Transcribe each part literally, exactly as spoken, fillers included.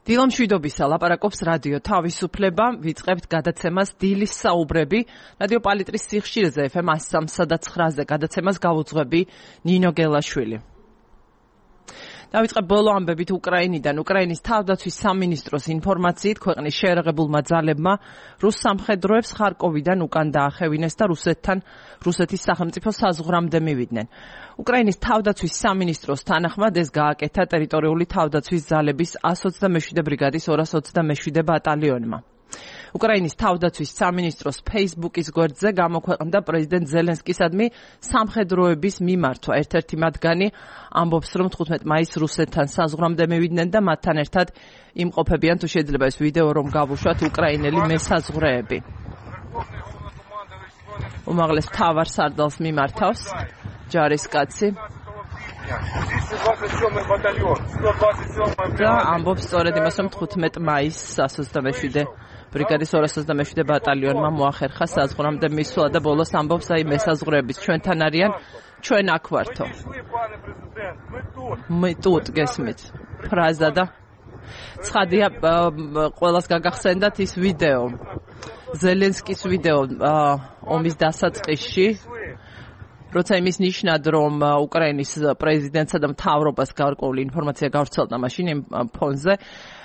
დილამშვიდობისა ლაპარაკობს რადიო თავისუფლება, ვიწყებთ გადაცემას დილის საუბრები, რადიო პალიტრის სიხშირეზე ეფ ემ one oh three point nine-ზე გადაცემას გავუძღვები ნინო გელაშვილი. დავიწყებ ბოლო ამბებით უკრაინიდან. უკრაინის თავდაცვის სამინისტროს ინფორმაციით ქვეყნის შეერაღებულმა ძალებმა რუს სამხედროებს ხარკოვიდან უკან დაახევინეს და რუსეთთან რუსეთის სახელმწიფო საზღვრამდე მივიდნენ. უკრაინის თავდაცვის სამინისტროს თანახმად ეს გააკეთა ტერიტორიული თავდაცვის ძალების one twenty-seven ბრიგადის two twenty-seven ბატალიონმა. უკრაინის თავდაცვის სამინისტროს Facebook-ის გვერდზე გამოქვეყნდა პრეზიდენტ ზელენსკისადმი სამხედროების მიმართვა. ერთ-ერთი მათგანი ამბობს, რომ თხუთმეტ მაისს რუსეთთან საზღვრამდე მივიდნენ და მათთან ერთად იმყოფებიან, თუ შეიძლება ეს ვიდეო რომ გავუშვათ, უკრაინელი მესაზღვრეები. უმაღლეს მთავარ სარდალს მიმართავს ჯარისკაცი. და ამბობს სწორედ იმას, რომ თხუთმეტ მაისს one twenty-seven ბრიგადის two twenty-seven ბატალიონმა მოახერხა საზღვრამდე მისვლა და ბოლოს ამბობს, აი მესაზღვრეების ჩვენთან არიან, ჩვენ აქ ვართო. მე тут გესმით ფრაზა და ცხადია ყველას გაგახსენდათ ის ვიდეო. ზელენსკის ვიდეო ომის დასაწყისში, როცა იმის ნიშნად, რომ უკრაინის პრეზიდენტსა და მთავრობას გარკვეული ინფორმაცია გავრცელდა მაშინ იმ ფონზე,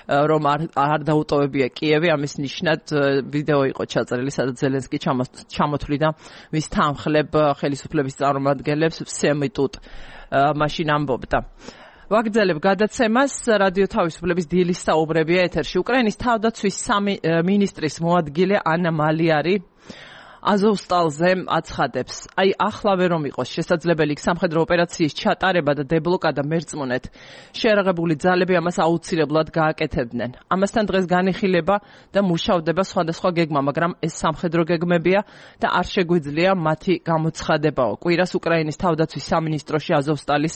რომ არ არ დაუტოვებია კიევი, ამის ნიშნად ვიდეო იყო ჩაწერილი, სადაც ზელენსკი ჩამოთვლიდა მის თანხლებ ხელისუფლების წარმომადგენლებს всеми тут მაშინ ამბობდა. ვაგრძელებ გადაცემას, რადიო თავისუფლების დილის საუბრებია ეთერში. უკრაინის თავდაცვის მინისტრის მოადგილე ანა მალიარი აზოვსტალზე აცხადებს, აი ახლავე რომ იყოს შესაძლებელი სამხედრო ოპერაციის ჩატარება და დებლოკადა მერწმუნეთ, შეერაღებული ძალები ამას აუცილებლად გააკეთებდნენ. ამასთან დღეს განიხილება და მუშავდება სხვადასხვა გეგმა, მაგრამ ეს სამხედრო გეგმებია და არ შეგვიძლია მათი გამოცხადებაო. კვირას უკრაინის თავდაცვის სამინისტროში აზოვსტალის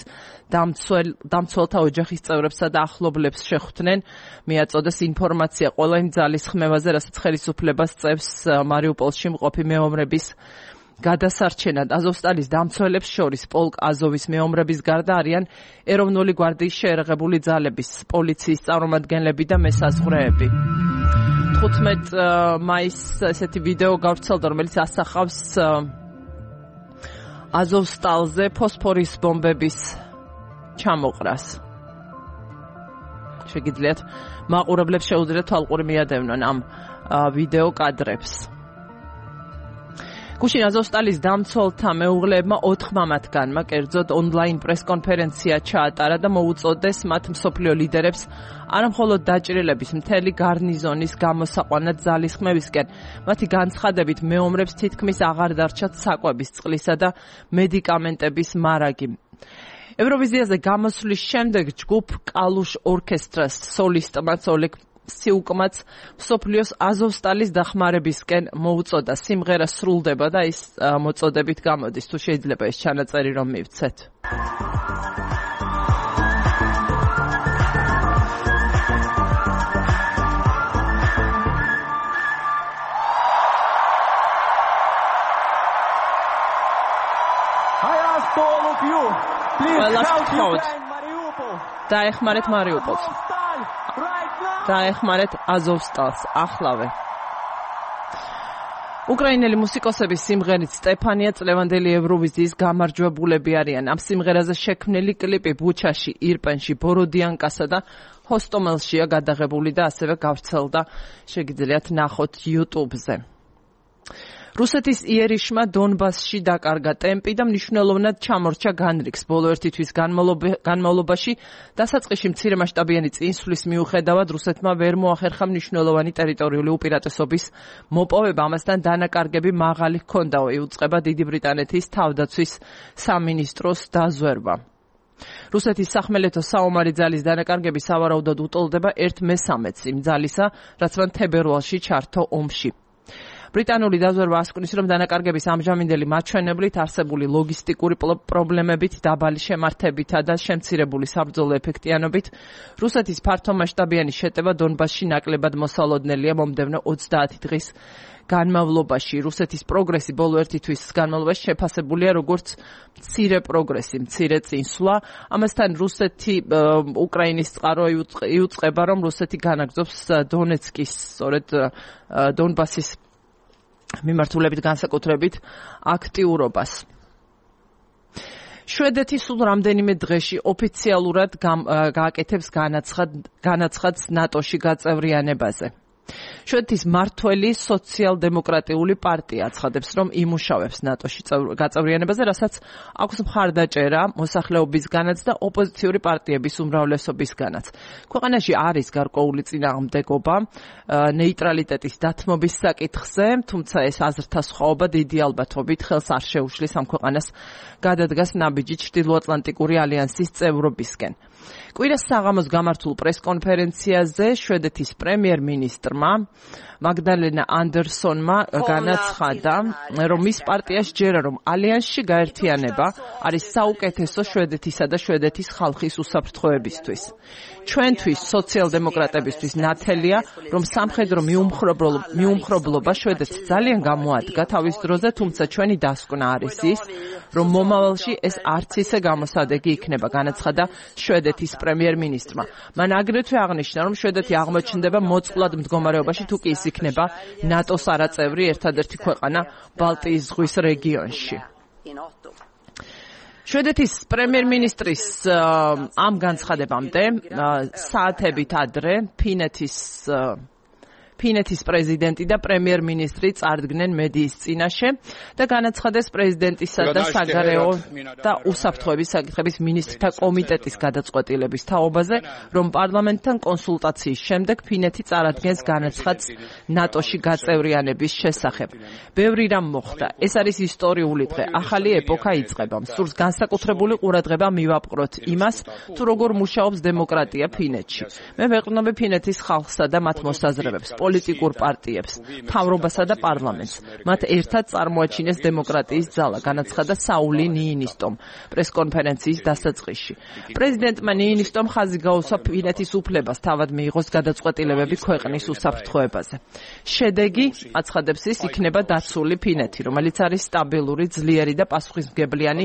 დამცველ დამცველთა ოჯახის წევრებსა და ახლობლებს შეხვდნენ, მიაწოდეს ინფორმაცია ყველა იმ ძალის ხმევაზე, რასაც ხელისუფლება სწევს მარიუპოლში მყოფი მეომრების გადასარჩენად. აზოვსტალის დამცველებს შორის პოლკ აზოვის მეომრების გარდა არიან ეროვნული გვარდიის შეერაღებული ძალების, პოლიციის წარმომადგენლები და მესაზღვრეები. თხუთმეტ მაისს ესეთი ვიდეო გავრცელდა, რომელიც ასახავს აზოვსტალზე ფოსფორის ბომბების ჩამოყრას. შეგიძლიათ მაყურებლებს შეუძლიათ თვალყური მიადევნონ ამ ვიდეო კადრებს. გუშინ აზოვსტალის დამცველთა მეუღლეებმა ოთხმა მათგანმა კერძოდ ონლაინ პრესკონფერენცია ჩაატარა და მოუწოდეს მათ მსოფლიო ლიდერებს არამხოლოდ დაჭრილების მთელი გარნიზონის გამოსაყვანად ძალისხმევისკენ. მათი განცხადებით მეომრებს თითქმის აღარ დარჩათ საკვების, წყლისა და მედიკამენტების მარაგი. ევროვიზიაზე გამოსვლის შემდეგ ჯგუფ კალუშ ორკესტრას სოლისტმაც ოლეგ სიუკმაც მსოფლიოს აზოვსტალის დახმარებისკენ მოუწოდა. სიმღერა სრულდება და ის მოწოდებით გამოდის. თუ შეიძლება ეს ჩანაწერი რომ მივცეთ. ყველას ვთხოვთ, დაეხმარეთ მარიუპოლს. დაეხმარეთ აზოვსტალს ახლავე. უკრაინელი მუსიკოსების სიმღერით სტეფანია წლევანდელი ევროვიზიის გამარჯვებულები არიან. ამ სიმღერაზე შექმნილი კლიპი ბუჩაში, ირპენში, ბოროდიანკასა და ჰოსტომელშია გადაღებული და ასევე გავრცელდა, შეგიძლიათ ნახოთ YouTube-ზე. რუსეთის იერიშმა დონბასში დაკარგა ტემპი და მნიშვნელოვნად ჩამორჩა განრიგს. ბოლო ერთი თვის განმავლობაში დასაწყისში მცირემასშტაბიანი წინსვლის მიუხედავად რუსეთმა ვერ მოახერხა მნიშვნელოვანი ტერიტორიული უპირატესობის მოპოვება. ამასთან დანაკარგები მაღალი ჰქონდაო, იუწყება დიდი ბრიტანეთის თავდაცვის სამინისტროს დაზვერვა. რუსეთის სახმელეთო საომარი ძალის დანაკარგები სავარაუდოდ უტოლდება ერთ მესამედს იმ ძალისა, რაც მან თებერვალში ჩართო ომში. ბრიტანული დაზვერვა ასკვნის, რომ დანაკარგების ამჟამინდელი მაჩვენებლით არსებული ლოგისტიკური პრობლემებით, დაბალი შემართებითა და შემცირებული საბრძოლო ეფექტიანობით რუსეთის ფართომასშტაბიანი შეტევა დონბასში ნაკლებად მოსალოდნელია მომდევნო ოცდაათი დღის განმავლობაში. რუსეთის პროგრესი ბოლო ერთი თვის განმავლობაში შეფასებულია როგორც მცირე პროგრესი, მცირე წინსვლა. ამასთან რუსეთი უკრაინის წყარო იუწყება, რომ რუსეთი განაგრძობს დონეცკის, სწორედ დონბასის მიმართულებით განსაკუთრებით აქტიურობას. შვედეთი სულ რამდენიმე დღეში ოფიციალურად გააკეთებს განაცხადს ნატოში გაწევრიანებაზე. შვედეთის მმართველი სოციალ-დემოკრატიული პარტია აცხადებს, რომ იმუშავებს ნატოში გაწევრიანებაზე, რასაც აქვს მხარდაჭერა მოსახლეობისგანაც და ოპოზიციური პარტიების უმრავლესობისგანაც. ქვეყანაში არის გარკვეული წინააღმდეგობა ნეიტრალიტეტის დათმობის საკითხზე, თუმცა ეს აზრთა სხვაობა დიდი ალბათობით ხელს არ შეუშლის ამ ქვეყანას გადადგას ნაბიჯი ჩრდილოატლანტიკური ალიანსის წევრობისკენ. კვირას საღამოს გამართულ პრესკონფერენციაზე შვედეთის პრემიერ-მინისტრმა მაგდალენა ანდერსონმა განაცხადა, რომ მის პარტიას ჯერა, რომ ალიანსში გაერთიანება არის საუკეთესო შვედეთისა და შვედეთის ხალხის უსაფრთხოებისთვის. ჩვენთვის, სოციალ-დემოკრატებისთვის ნათელია, რომ სამხედრო მიუმხრობლობა შვედეთს ძალიან გამოადგა თავის დროზე, თუმცა ჩვენი დასკვნა არის ის, რომ მომავალში ეს არც ისე გამოსადეგი იქნება, განაცხადა შვედეთის პრემიერ-მინისტრმა. მან აგრეთვე აღნიშნა, რომ შვედეთი აღმოჩნდება მოწყვლად მდგომარეობაში, თუ კი ის იქნება ნატოს არაწევრი ერთადერთი ქვეყანა ბალტიის ზღვის რეგიონში. შვედეთის პრემიერ-მინისტრის ამ განცხადებამდე საათებით ადრე ფინეთის ფინეთის პრეზიდენტი და პრემიერ-მინისტრი წარდგნენ მედიის წინაშე და განაცხადეს პრეზიდენტისა და საგარეო და უსაფრთხოების საკითხების მინისტრთა კომიტეტის გადაწყვეტილების თაობაზე, რომ პარლამენტთან კონსულტაციის შემდეგ ფინეთი წარადგენს განაცხადს ნატოში გაწევრიანების შესახებ. ბევრი რამ მოხდა. ეს არის ისტორიული დღე. ახალი ეპოქა იწყება. სურს განსაკუთრებული ყურადღება მივაპყროთ იმას, თუ როგორ მუშაობს დემოკრატია ფინეთში. მე ვეყრდნობი ფინეთის ხალხსა და მათ მოსაზრებებს, პოლიტიკურ პარტიებს, მთავრობასა და პარლამენტს. მათ ერთად წარმოაჩინეს დემოკრატიის ძალა, განაცხადა საული ნიინისტომ პრესკონფერენციის დასაწყისში. პრეზიდენტმა ნიინისტომ ხაზი გაუსვა ფინეთის უფლებას თავად მიიღოს გადაწყვეტილებები ქვეყნის უსაფრთხოებაზე. შედეგი, აცხადებს ის, იქნება დაცული ფინეთი, რომელიც არის სტაბილური, ძლიერი და პასუხისმგებლიანი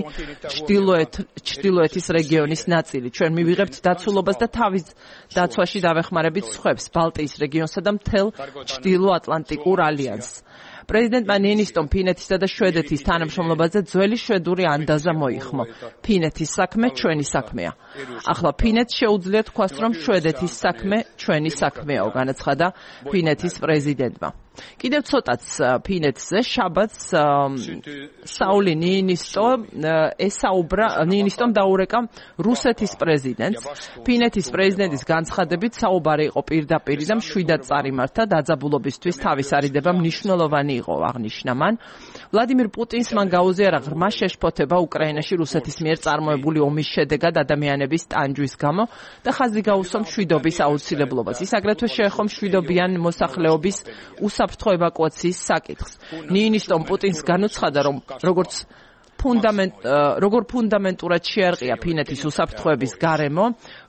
ჩრდილოეთ ჩრდილოეთის რეგიონის ნაწილი. ჩვენ მივიღებთ დაცულობას და თავის დაცვაში დავეხმარებით სხვებს, ბალტიის რეგიონსა და მთელ ჩრდილო-ატლანტიკურ ალიანსს. პრეზიდენტმა ნიინისტომ ფინეთისა და შვედეთის თანამშრომლობაზე ძველი შვედური ანდაზა მოიხმო. ფინეთის საქმე ჩვენი საქმეა. ახლა ფინეთს შეუძლია თქვას, რომ შვედეთის საქმე ჩვენი საქმეაო, განაცხადა ფინეთის პრეზიდენტმა. კიდევ ცოტაც ფინეთზე შაბათს საული ნიინისტო ესაუბრა ნიინისტომ დაურეკა რუსეთის პრეზიდენტს. ფინეთის პრეზიდენტის განცხადებით საუბარი იყო პირდაპირ და მშვიდად წარიმართა, დაძაბულობისთვის თავის არიდება მნიშვნელოვანი იყო, აღნიშნა მან. ვლადიმირ პუტინს მან გაუზიარა ღრმა შეშფოთება უკრაინაში რუსეთის მიერ წარმოებული ომის შედეგად ადამიანების ტანჯვის გამო და ხაზი გაუსვა მშვიდობის აუცილებლობას. ის აგრეთვე შეეხო მშვიდობიან მოსახლეობის უსაფრთხო ევაკუაციის საკითხს. ნიინისტომ პუტინს განუცხადა, რომ როგორც ფუნდამენტ როგორ ფუნდამენტურად შეარყია ფინეთის უსაფრთხოების გარემო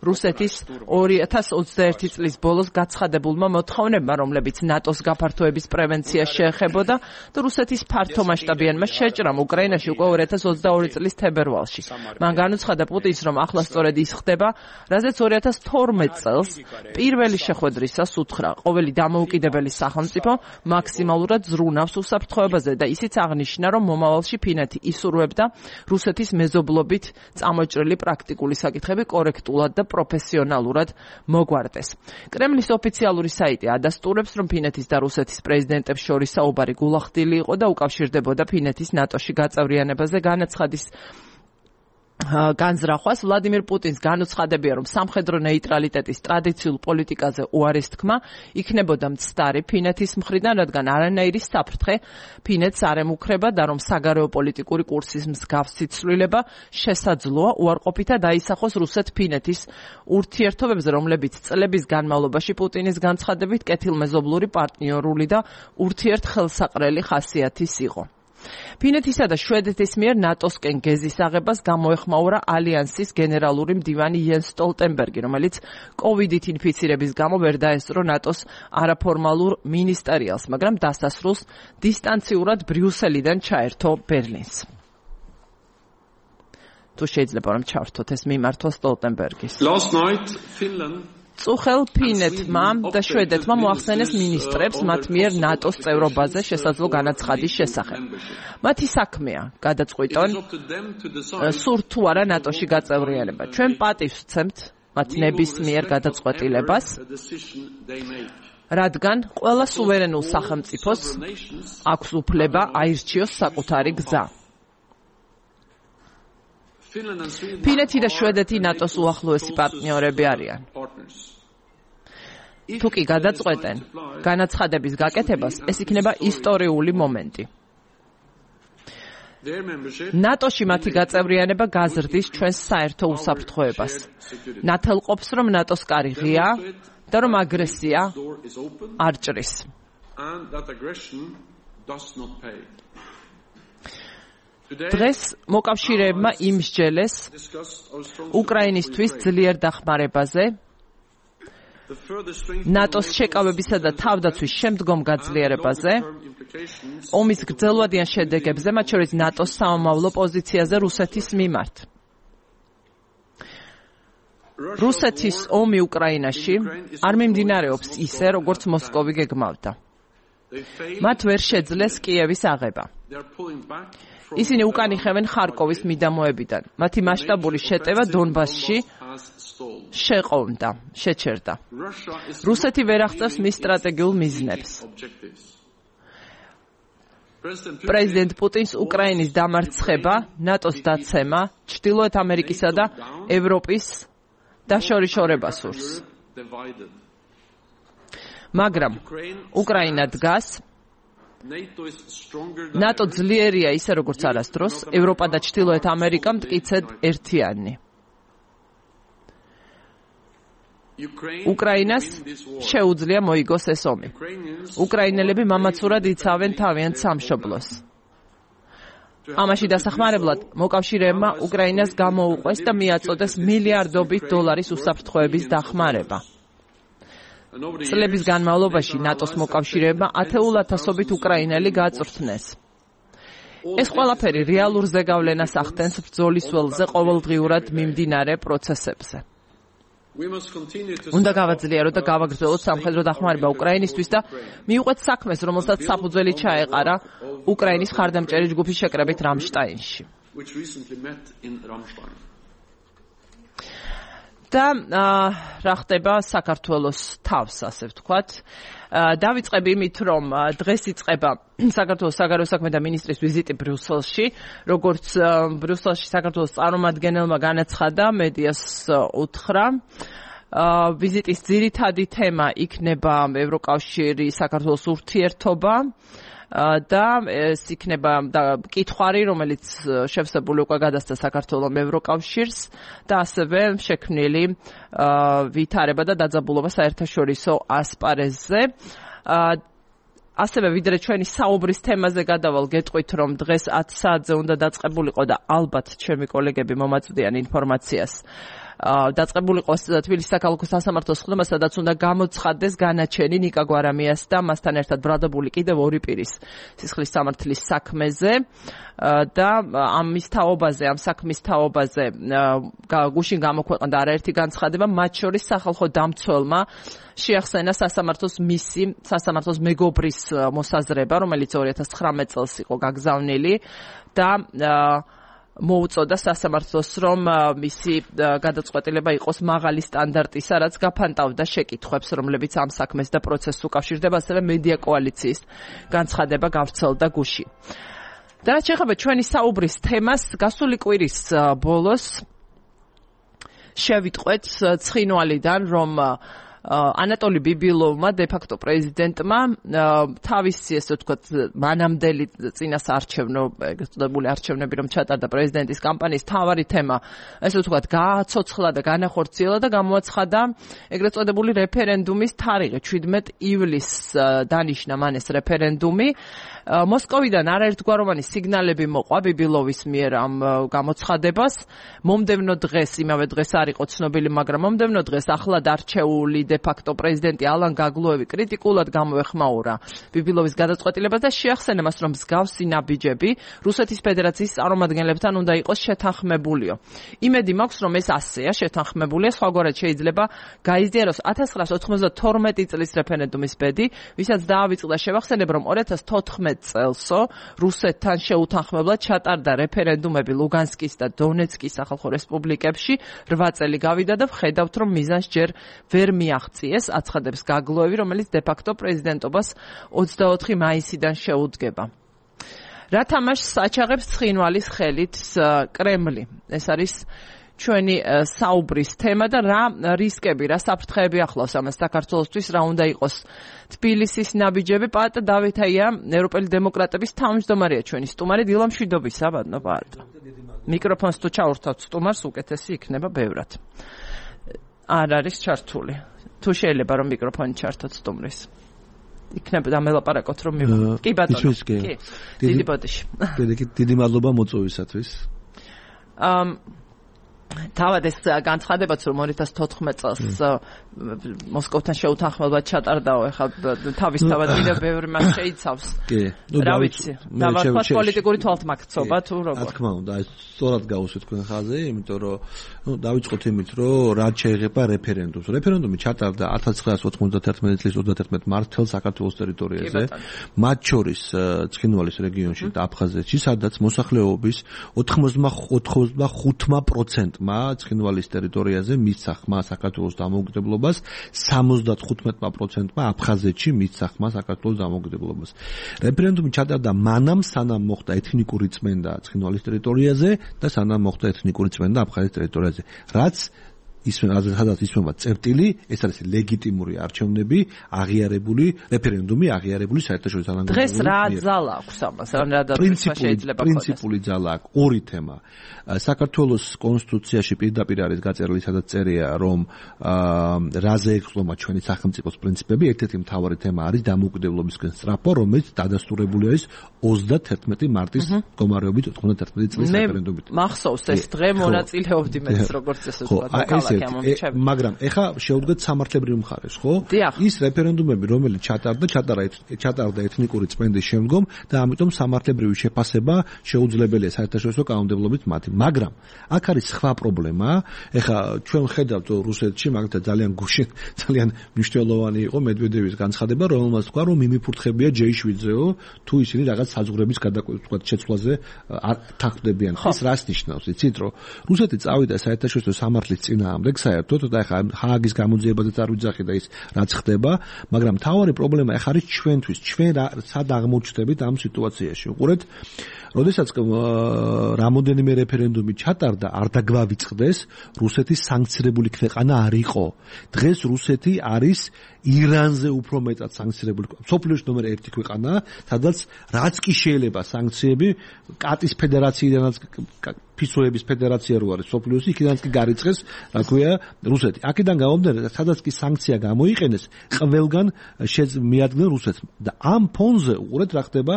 რუსეთის ორი ათას ოცდაერთი წლის ბოლოს გაცხადებულმა მოთხოვნებმა, რომლებიც ნატოს გაფართოების პრევენციას შეეხებოდა და რუსეთის ფართომასშტაბიანმა შეჭრამ უკრაინაში უკვე ორი ათას ოცდაორი წლის თებერვალში. მან განუცხადა პუტინს, რომ ახლა სწორედ ის ხდება, რაზეც ორი ათას თორმეტ წელს პირველი შეხვედრისას უთხრა, ყოველი დამოუკიდებელი სახელმწიფო მაქსიმალურად ზრუნავს უსაფრთხოებაზე და ისიც აღნიშნა, რომ მომავალში ფინეთი ისურვებს და რუსეთის მეზობლობით წამოჭრილი პრაქტიკული საკითხები კორექტულად და პროფესიონალურად მოგვარდეს. კრემლის ოფიციალური საიტი ადასტურებს, რომ ფინეთის და რუსეთის პრეზიდენტებს შორის საუბარი გულახდილი იყო და უკავშირდებოდა ფინეთის ნატოში გაწევრიანებაზე. განაცხადის განზრახვას ვლადიმირ პუტინს განუცხადებია, რომ სამხედრო ნეიტრალიტეტის ტრადიციულ პოლიტიკაზე უარის თქმა იქნებოდა მცდარი ფინეთის მხრიდან, რადგან არანაირი საფრთხე ფინეთს არ ემუქრება და რომ საგარეო პოლიტიკური კურსის მსგავსი ცვლილება შესაძლოა უარყოფითად დაისახოს რუსეთ-ფინეთის ურთიერთობებზე, რომლებიც წლების განმავლობაში პუტინის განცხადებით კეთილმეზობლური, პარტნიორული და ურთიერთხელსაყრელი ხასიათის იყო. ფინეთისა და შვედეთის მიერ ნატოსკენ გეზის აღებას გამოეხმაურა ალიანსის გენერალური მდივანი იენს სტოლტენბერგი, რომელიც კოვიდით ინფიცირების გამო ვერ დაესწრო ნატოს არაფორმალურ მინისტერიალს, მაგრამ დასასრულს დისტანციურად ბრიუსელიდან ჩაერთო ბერლინს. თუ შეიძლება რომ ჩავრთოთ ეს მიმართვა სტოლტენბერგის. Last night Finland წუხელ ფინეთმა და შვედეთმა მოახსენეს მინისტრებს მათ მიერ ნატოს წევრობაზე შესაძლო განაცხადის შესახებ. მათი საქმეა გადაწყვიტონ სურთ თუ არა ნატოში გაწევრიანება. ჩვენ პატივს ვცემთ მათ ნებისმიერ გადაწყვეტილებას, რადგან ყველა სუვერენულ სახელმწიფოს აქვს უფლება აირჩიოს საკუთარი გზა. ფინეთი და შვედეთი ნატოს უახლოესი პარტნიორები არიან. თუ კი გადაწყვეტენ განაცხადების გაკეთებას, ეს იქნება ისტორიული მომენტი. ნატოში მათი გაწევრიანება გაზრდის ჩვენს საერთო უსაფრთხოებას. ნათელყოფს, რომ ნატოს კარი ღია და რომ აგრესია არ ჭრის. დღეს მოკავშირეებმა იმსჯელეს უკრაინისთვის ძლიერ დახმარებაზე, ნატოს შეკავებისა და თავდაცვის შემდგომ გაძლიერებაზე, ომის გრძელვადიან შედეგებზე, მათ შორის ნატოს სამომავლო პოზიციაზე რუსეთის მიმართ. რუსეთის ომი უკრაინაში არ მიმდინარეობს ისე, როგორც მოსკოვი გეგმავდა. მათ ვერ შეძლეს კიევის აღება. ისინი უკან იხევენ ხარკოვის მიდამოებიდან. მათი მასშტაბური შეტევა დონბასში შეყოვდა, შეჩერდა. რუსეთი ვერ აღწევს მის სტრატეგიულ მიზნებს. პრეზიდენტ პუტინს უკრაინის დამარცხება, ნატოს დაცემა, ჩრდილოეთ ამერიკისა და ევროპის დაშორიშორება სურს. მაგრამ უკრაინა დგას, ნატო ძლიერია ისე როგორც არასდროს, ევროპა და ჩრდილოეთ ამერიკა მტკიცედ ერთიანი. უკრაინას შეუძლია მოიგოს ეს ომი. უკრაინელები მამაცურად იცავენ თავიანთ სამშობლოს. ამაში დასახმარებლად მოკავშირეებმა უკრაინას გამოუყვეს და მიაწოდეს მილიარდობით დოლარის უსაფრთხოების დახმარება. წლების განმავლობაში ნატოს მოკავშირეებმა ათეულათასობით უკრაინელი გაწვრთნეს. ეს ყველაფერი რეალურ ზეგავლენას ახდენს ბრძოლის ველზე ყოველდღიურად მიმდინარე პროცესებზე. უნდა გავაძლიეროთ და გავაგრძელოთ სამხედრო დახმარება უკრაინისთვის და მიუყვეთ საქმეს, რომელსაც საფუძველი ჩაეყარა უკრაინის მხარდამჭერი ჯგუფის შეკრებით რამშტაინში. და რა ხდება საქართველოს თავს, ასე ვთქვათ. დავიწყებ იმით, რომ დღეს იწყება საქართველოს საგარეო საქმეთა მინისტრის ვიზიტი ბრიუსელში, როგორც ბრიუსელში საქართველოს წარმომადგენელმა განაცხადა, მედიას უთხრა. ვიზიტის ძირითადი თემა იქნება ევროკავშირი საქართველოს ურთიერთობა და ეს იქნება კითხვარი, რომელიც შევსებული უკვე გადასცა საქართველოს ევროკავშირს და ასევე შექმნილი ვითარება და დაძაბულობა საერთაშორისო ასპარეზზე. ასევე ვიდრე ჩვენი საუბრის თემაზე გადავალ, გეტყვით, რომ დღეს ათ საათზე უნდა დაწყებულიყო და ალბათ ჩემი კოლეგები მომაწვდიან ინფორმაციას. დაწყებული იყოს თბილისის საქალაქო სასამართლოს ხდომა, სადაც უნდა გამოცხადდეს განაჩენი ნიკა გვარამიას და მასთან ერთად ბრალდებული კიდევ ორი პირის სისხლის სამართლის საქმეზე და ამის თაობაზე, ამ საქმის თაობაზე გუშინ გამოქვეყნდა არაერთი განცხადება, მათ შორის სახალხო დამცველმა შეახსენა სასამართლოს მისი, სასამართლოს მეგობრის მოსაზრება, რომელიც ორი ათას ცხრამეტ წელს იყო გაგზავნილი და მოუწოდა სასამართლოს, რომ მისი გადაწყვეტილება იყოს მაღალი სტანდარტისა, რაც გაფანტავდა შეკითხვებს, რომლებიც ამ საქმეს და პროცესს უკავშირდება, ასევე მედია კოალიციის განცხადება გავრცელდა გუშინ. და რაც შეეხება ჩვენი საუბრის თემას, გასული კვირის ბოლოს შევიტყვეთ ცხინვალიდან, რომ ანატოლი ბიბილოვმა დე-ფაქტო პრეზიდენტმა თავისი ესე ვთქვათ მანამდელი წინასაარჩევნო ეგრეთ წოდებული არჩევნები რომ ჩატარდა პრეზიდენტის კამპანიის თავარი თემა ესე ვთქვათ გააცოცხლა და განახორციელა და გამოაცხადა ეგრეთ წოდებული რეფერენდუმის თარიღი შვიდმეტ ივლისს დანიშნა მან ეს რეფერენდუმი მოსკოვიდან არაერთგვაროვანი სიგნალები მოყვა ბიბილოვის მიერ ამ გამოცხადებას მომდევნო დღეს იმავე დღეს არ იყო ცნობილი მაგრამ მომდევნო დღეს ახლად არჩეული დე-ფაქტო პრეზიდენტი ალან გაგლუევი კრიტიკულად გამოეხმაურა ბიბილოვის გადაწყვეტილებას და შეახსენა მას რომ მსგავსი ნაბიჯები რუსეთის ფედერაციის წარმომადგენლებთან უნდა იყოს შეთანხმებულიო. იმედი მაქვს რომ ეს ასეა შეთანხმებულია, სხვაგვარად შეიძლება გაიზიაროს ათას ცხრაას ოთხმოცდათორმეტი წლის რეფერენდუმის ბედი, ვისაც დაავიწყდა შევახსენებ რომ ორი ათას თოთხმეტ წელსო რუსეთთან შეუთანხმებლად ჩატარდა რეფერენდუმები ლუგანსკის და დონეცკის სახალხო რესპუბლიკებში რვა წელი გავიდა და ვხედავთ რომ მიზანს ჯერ ვერ მიაღწიეს, აცხადებს გაგლუევი, რომელიც დე-ფაქტო პრეზიდენტობას ოცდაოთხი მაისიდან შეუდგება. რა თამაშს აჩაღებს ცხინვალის ხელით კრემლი? ეს არის ჩვენი საუბრის თემა და რა რისკები, რა საფრთხეები ახლავს ამას საქართველოსთვის, რა უნდა იყოს თბილისის ნაბიჯები. პაატა დავითაია, ევროპელი დემოკრატების თავმჯდომარეა ჩვენი სტუმარი. დილა მშვიდობისა, ბატონო პაატა. მიკროფონს თუ ჩაურთავთ სტუმარს, უკეთესი იქნება ბევრად. არ არის ჩართული. თუ შეიძლება რომ მიკროფონი ჩართოთ სტუმრის. იქნება დამელაპარაკოთ რომ მივ. კი ბატონო. კი. დიდი ბოდიში. დიდი მადლობა მოწვევისათვის. ამ თავად ეს განცხადებაც რომ ორი ათას თოთხმეტ წელს მოსკოვთან შეუთანხმებლად ჩატარდაო, ეხლა თავისთავად კიდევ ბევრი მას შეიცავს. კი. რა ვიცი. დავარქვათ პოლიტიკური თვალთმაქცობა თუ როგორ. რა თქმა უნდა, ეს სწორად გავუსვით თქვენ ხაზზე, იმიტომ რომ ნუ დავიწყოთ იმით, რომ რაც შეეხება რეფერენდუმს. რეფერენდუმი ჩატარდა ათას ცხრაას ოცდაათერთმეტი წლის ოცდაათერთმეტ მარტს მთელ საქართველოს ტერიტორიაზე, მათ შორის ცხინვალის რეგიონში და აფხაზეთში, სადაც მოსახლეობის ოთხმოცდახმთ პროცენტ ცხინვალის ტერიტორიაზე მისცა ხმა საქართველოს დამოუკიდებლობას, სამოცდათხუთმეტ პროცენტმა აფხაზეთში მისცა ხმა საქართველოს დამოუკიდებლობას. რეფერენდუმი ჩატარდა მანამ, სანამ მოხდა ეთნიკური წმენდა ცხინვალის ტერიტორიაზე და სანამ მოხდა ეთნიკური წმენდა აფხაზეთის ტერიტორიაზე. რაც სადაც ისმება წერტილი, ეს არის ლეგიტიმური არჩევნები, აღიარებული რეფერენდუმი, აღიარებული საერთაშორისო თანამდებობებით. დღეს რა ძალა აქვს ამას? რა დაწესება შეიძლება ქონდეს? პრინციპული ძალა აქვს. ორი თემა. საქართველოს კონსტიტუციაში პირდაპირ არის გაწერილი, სადაც წერია, რომ რაზე ეხლომა ჩვენი სახელმწიფოს პრინციპები. ერთ-ერთი მთავარი თემა არის დამოუკიდებლობისკენ სწრაფვა, რომელიც დადასტურებული არის ოცდაათერთმეტი მარტის მდგომარეობით ოცდაათერთმეტი წლის რეფერენდუმით. მახსოვს ეს დღე მონაწილეობდი მეც როგორც ესე ვთქვა. მაგრამ ეხა შევდგეთ სამართლებრივ მხარეს, ხო? ის რეფერენდუმები, რომელიც ჩატარდა, ჩატარდა ეთნიკური წმენდის შემდგომ და ამიტომ სამართლებრივი შეფასება შეუძლებელია საერთაშორისო კანონმდებლობით მათი. მაგრამ აქ არის სხვა პრობლემა. ეხა ჩვენ ხედავთ რუსეთში, მაგალითად ძალიან გუშინ, ძალიან მნიშვნელოვანი იყო მედვედევის განცხადება, რომელმაც თქვა, რომ მიმიფურთხებია ჯეი შვიდზეო, თუ ისინი რაღაც საზღვრების გადაკვეთილ შეცვლაზე არ თანხმდებიან. ეს რას ნიშნავს? იცით, რომ რუსეთი წავიდა საერთაშორისო სამართლის წინააღმდეგ საერთოდ და ეხა ჰააგის გამოძიებაზეც არ ვიძახი და ის რაც ხდება, მაგრამ მთავარი პრობლემა ეხა არის ჩვენთვის, ჩვენ სად აღმოჩნდებით ამ სიტუაციაში. უყურეთ, როდესაც რამოდენიმე რეფერენდუმი ჩატარდა, არ დაგვავიწყდეს, რუსეთი სანქცირებული ქვეყანა არ იყო. დღეს რუსეთი არის ირანზე უფრო მეტად სანქცირებული. სოფლიოში ნომერ ერთი ქვეყანა, სადაც რაც კი შეიძლება სანქციები კატის ფედერაციიდანაც ფისურების ფედერაცია რო არის სოფლიოში, იქიდანაც კი გარიცხეს, რა ქვია, რუსეთი. აქედან გამომდინარე, სადაც კი სანქცია გამოიყენეს, ყველგან მიადგნენ რუსეთს. და ამ ფონზე უყურეთ რა ხდება,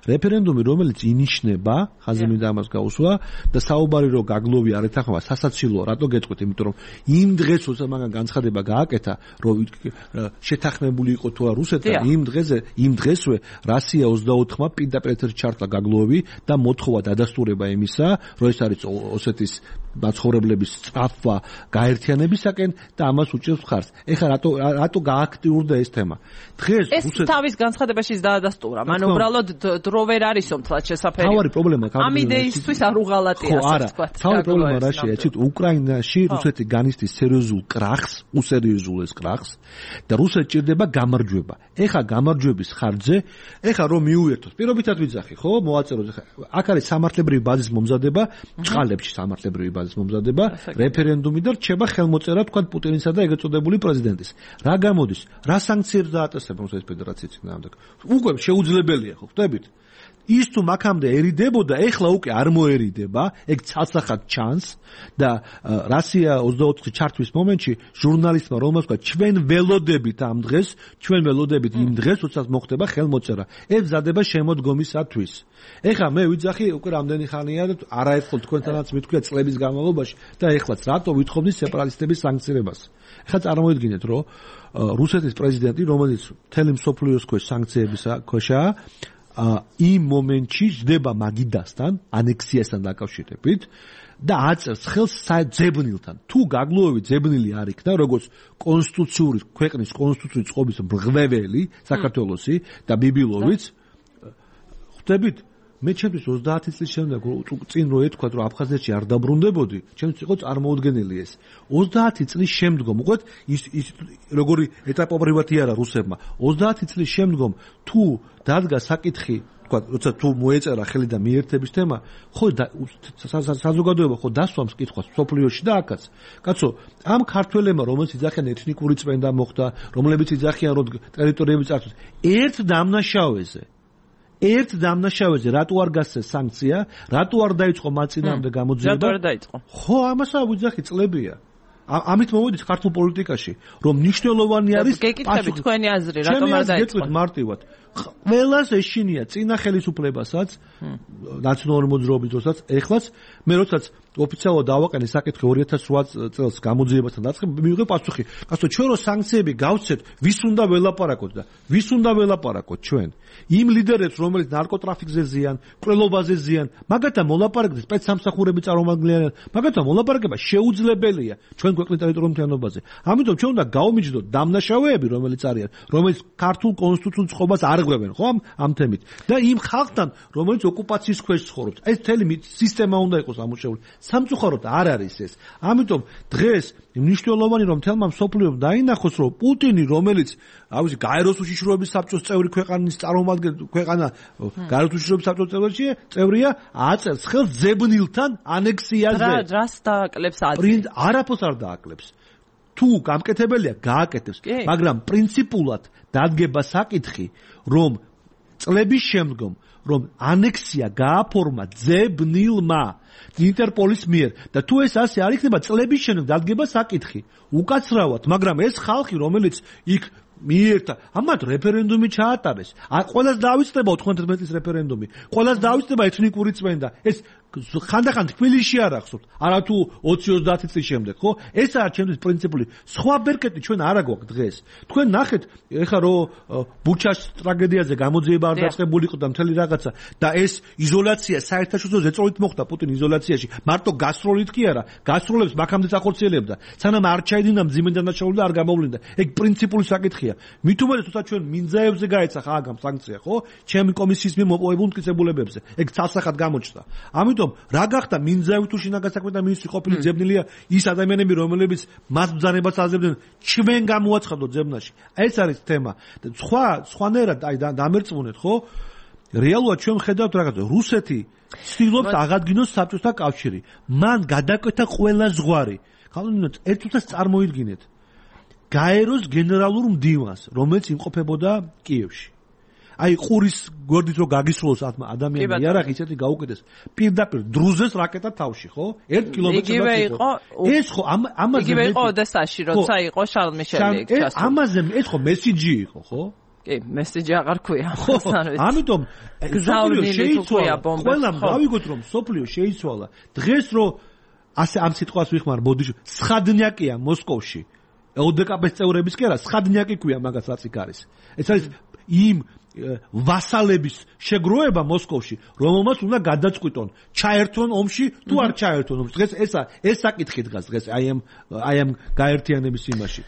რეფერენდუმი, რომელიც ინიშნება, ხაზი მინდა ამას გაუსვა და საუბარი რო გაგლოვი არ ეთანხმება, სასაცილოა, რატო გეტყვით? იმიტომ რომ იმ დღეს როცა მაგან განცხადება გააკეთა, რომ შეთანხმებული იყო თუ არა რუსეთთან, იმ დღეზე, იმ დღესვე რასია ოცდაოთხმა პირდაპირ ეთერში ჩართლა გაგლოვი და მოთხოვა დადასტურება იმისა, რომ ეს ეს არის ოსეთის მაცხოვრებლების სწრაფვა გაერთიანებისაკენ და ამას უჭერს მხარს. ეხლა რატო რატო გააქტიურდა ეს თემა? დღეს ეს თავის განცხადებაში დაადასტურა. მან უბრალოდ დრო ვერ არისო მთლად შესაძლებელი. თავარი პრობლემა ამ იდეისთვის არ უღალატია ასე ვთქვათ. თავარი პრობლემა რაშია? იცით, უკრაინაში რუსეთი განიცდის სერიოზულ კრახს, უსერიოზულ ეს კრახს და რუსეთი ჭირდება გამარჯვება. ეხლა გამარჯვების ხარჯზე, ეხლა რომ მიუერთოთ, პირობითად ვიძახი, ხო, მოაწეროთ ეხლა. აქ არის სამართლებრივი ბაზის მომზადება, ჭყალებში სამართლებრივი ბაზის მომზადება, რეფერენდუმი და რჩება ხელმოწერა თქვა პუტინისა და ეგრეთ წოდებული პრეზიდენტის. რა გამოდის? რა სანქციებს დააწესებენ რუსეთის ფედერაციის წინააღმდეგ? უკვე შეუძლებელია, ხო, ხვდებით? ის თუ მაქამდე ერიდებოდა, ეხლა უკვე არ მოერიდება, ეგ ცალსახად ჩანს და რუსია ოცდაოთხი ჩართვის მომენტში ჟურნალისტმა რომელს თქვა, ჩვენ ველოდებით ამ დღეს, ჩვენ ველოდებით იმ დღეს, როდესაც მოხდება ხელმოწერა. ეს მზადება შემოდგომისათვის. ეხლა მე ვიძახი უკვე რამდენი ხანია და არაერთხელ თქვენთანაც მithქვია წლების განმავლობაში და ეხლაც რატო ვითხოვნის სეპარატისტების სანქციებას. ეხლა წარმოიდგინეთ, რომ რუსეთის პრეზიდენტი, რომელიც მთელი მსოფლიოს ქვეშ სანქციების ქვეშაა, იმ მომენტში ჯდება მაგიდასთან, ანექსიასთან დაკავშირებით და აწერს ხელს ძებნილთან. თუ გაგლუევი ძებნილი არ იქნა, როგორც კონსტიტუციური ქვეყნის კონსტიტუციური წყობის მრღვეველი საქართველოსი და ბიბილოვიც, ხვდებით? მე ჩემთვის ოცდაათი წლის შემდეგ წინ რო ეთქვათ, რომ აფხაზეთში არ დაბრუნდებოდი, ჩემთვის იყო წარმოუდგენელი ეს. ოცდაათი წლის შემდგომ, უყურეთ, ის ის როგორი ეტაპობრივად არა რუსებმა. ოცდაათი წლის შემდგომ თუ დადგა საკითხი, თქვა, როცა თუ მოეწერა ხელი და მიერთების თემა, ხო საზოგადოება ხო დასვამს კითხვას სოფლიოში და აქაც. კაცო, ამ ქართველებმა, რომელიც იძახიან ეთნიკური წმენდა მოხდა, რომლებიც იძახიან, რომ ტერიტორიები წარსულს, ერთ დამნაშავეზე ერთ დამნაშავეზე რატო არ გასცეს სანქცია, რატო არ დაიწყო მათ წინააღმდეგ გამოძიება? რატო არ დაიწყო? ხო, ამასაც ვიძახი წლებია. ამით მოვიდით ქართულ პოლიტიკაში, რომ მნიშვნელოვანი არის გეკითხებით თქვენი აზრი, რატომ არ დაიწყო? გეტყვით მარტივად. ყველას ეშინია წინა ხელისუფლებასაც, ნაციონალური მოძრაობის დროსაც, ეხლაც მე როდესაც ოფიციალურად დავაყენე საკითხი ორი ათას რვა წელს გამოძიებასთან დაწყება, მივიღე პასუხი. კაცო, ჩვენ რო სანქციები გავცეთ, ვის უნდა ველაპარაკოთ და ვის უნდა ველაპარაკოთ ჩვენ? იმ ლიდერებს, რომელიც ნარკოტრაფიკზე ზიან, ყრელობაზე ზიან, მაგათთან მოლაპარაკება სპეცსამსახურები წარმომადგენლიან, მაგათთან მოლაპარაკება შეუძლებელია ჩვენ ქვეყნის ტერიტორიულ მთლიანობაზე. ამიტომ ჩვენ უნდა გავმიჯდოთ დამნაშავეები, რომელიც არიან, რომელიც ქართულ კონსტიტუციურ წყობას არ ღვევენ, ხო, ამ თემით. და იმ ხალხთან, რომელიც ოკუპაციის ქვეშ ცხოვრობს. ეს მთელი სისტემა უნდა იყოს ამუშავებული. სამწუხაროდ არ არის ეს. ამიტომ დღეს მნიშვნელოვანი რომ თელმა მსოფლიომ დაინახოს, რომ პუტინი, რომელიც ავიზი გაეროს უშიშროების საბჭოს წევრი ქვეყანის წარმომადგენელი ქვეყანა, გაეროს უშიშროების საბჭოს წევრია, წევრია, აწერს ხელს ძებნილთან ანექსიაზე. რა რას დააკლებს აზრი? პრინც არაფერს არ დააკლებს. თუ გამკეთებელია, გააკეთებს, მაგრამ პრინციპულად დადგება საკითხი, რომ წლების შემდგომ რომ ანექსია გააფორმა ძებნილმა ინტერპოლის მიერ და თუ ეს ასე არ იქნება, წლების შემდეგ დადგება საკითხი უკაცრავად, მაგრამ ეს ხალხი, რომელიც იქ მიერთა, ამათ რეფერენდუმი ჩაატარეს. ყველას დაავიწყდება ოთხმოცდაათი წლის რეფერენდუმი. ყველას დაავიწყდება ეთნიკური წმენდა. ეს ხანდახან თბილისში არ ახსოვთ, არა თუ ოცი ოცდაათი წლის შემდეგ, ხო? ეს არის ჩემთვის პრინციპული. სხვა ბერკეტი ჩვენ არ აგვაქვს დღეს. თქვენ ნახეთ, ეხლა რო ბუჩას ტრაგედიაზე გამოძიება არ დაწყებული იყო და მთელი რაღაცა და ეს იზოლაცია საერთაშორისო ზეწოლით მოხდა პუტინ იზოლაციაში. მარტო გასროლით კი არა, გასროლებს მაქამდე ახორციელებდა. სანამ არ ჩაიდინა მძიმე დანაშაული და არ გამოვლინდა. ეგ პრინციპული საკითხია. მით უმეტეს, თუმცა ჩვენ მინძაებზე გაეცახა აგამ სანქცია, ხო? ჩემი კომისიის მიერ მოპოვებულ მტკიცებულებებზე. ეგ ცალსახად გამოჩნდა. ამიტომ რა გახდა მინძავი თუ შინაგანსაქმეთა მინისტრი ყოფილი ძებნილია ის ადამიანები, რომელებიც მას ბრძანებას აძლევდნენ, ჩვენ გამოაცხადოთ ძებნაში. ეს არის თემა. და სხვა სხვანაირად აი დამერწმუნეთ, ხო? რეალურად ჩვენ ხედავთ რაღაცა. რუსეთი ცდილობს აღადგინოს საბჭოთა კავშირი. მან გადაკვეთა ყველა ზღვარი. ხალხო, ერთ წუთას წარმოიდგინეთ. გაეროს გენერალურ მდივანს, რომელიც იმყოფებოდა კიევში. აი ყურის გვერდით რო გაგისროლოს ადამიანი იარაღი ისეთი გაუკეთეს პირდაპირ დრუზეს რაკეტა თავში, ხო? ერთ კილომეტრზე იყო. ეს ხო ამაზე იგივე იყო ოდესაში, როცა იყო შარლ მიშელი იქ ჩასული. ამაზე ეს ხო მესიჯი იყო, ხო? კი, მესიჯი აღარ ქვია. ამიტომ სოფლიო შეიცვალა. ყველამ გავიგოთ რომ სოფლიო შეიცვალა. დღეს რო ასე ამ სიტყვას ვიხმარ, ბოდიში, სხადნიაკია მოსკოვში. ოდეკაპეს წევრების კი არა, სხადნიაკი ქვია მაგას რაც იქ არის. ეს არის იმ ვასალების შეგროვება მოსკოვში, რომელმაც უნდა გადაწყვიტონ, ჩაერთონ ომში თუ არ ჩაერთონ ომში. დღეს ეს ეს საკითხი დგას დღეს აი ამ აი ამ გაერთიანების იმაში.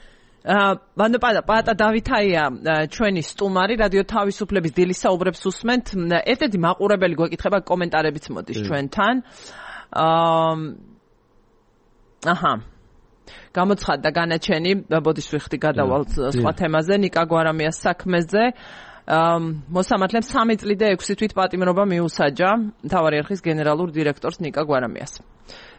ბანო პატა დავითაია ჩვენი სტუმარი რადიო თავისუფლების დილის საუბრებს უსმენთ. ერთ-ერთი მაყურებელი გვეკითხება კომენტარებიც მოდის ჩვენთან. აჰა გამოცხადდა განაჩენი, ბოდიშ ვიხდი გადავალ სხვა თემაზე, ნიკა გვარამიას საქმეზე. მოსამართლემ სამი წლი და ექვსი თვით პატიმრობა მიუსაჯა მთავარი არხის გენერალურ დირექტორს ნიკა გვარამიას.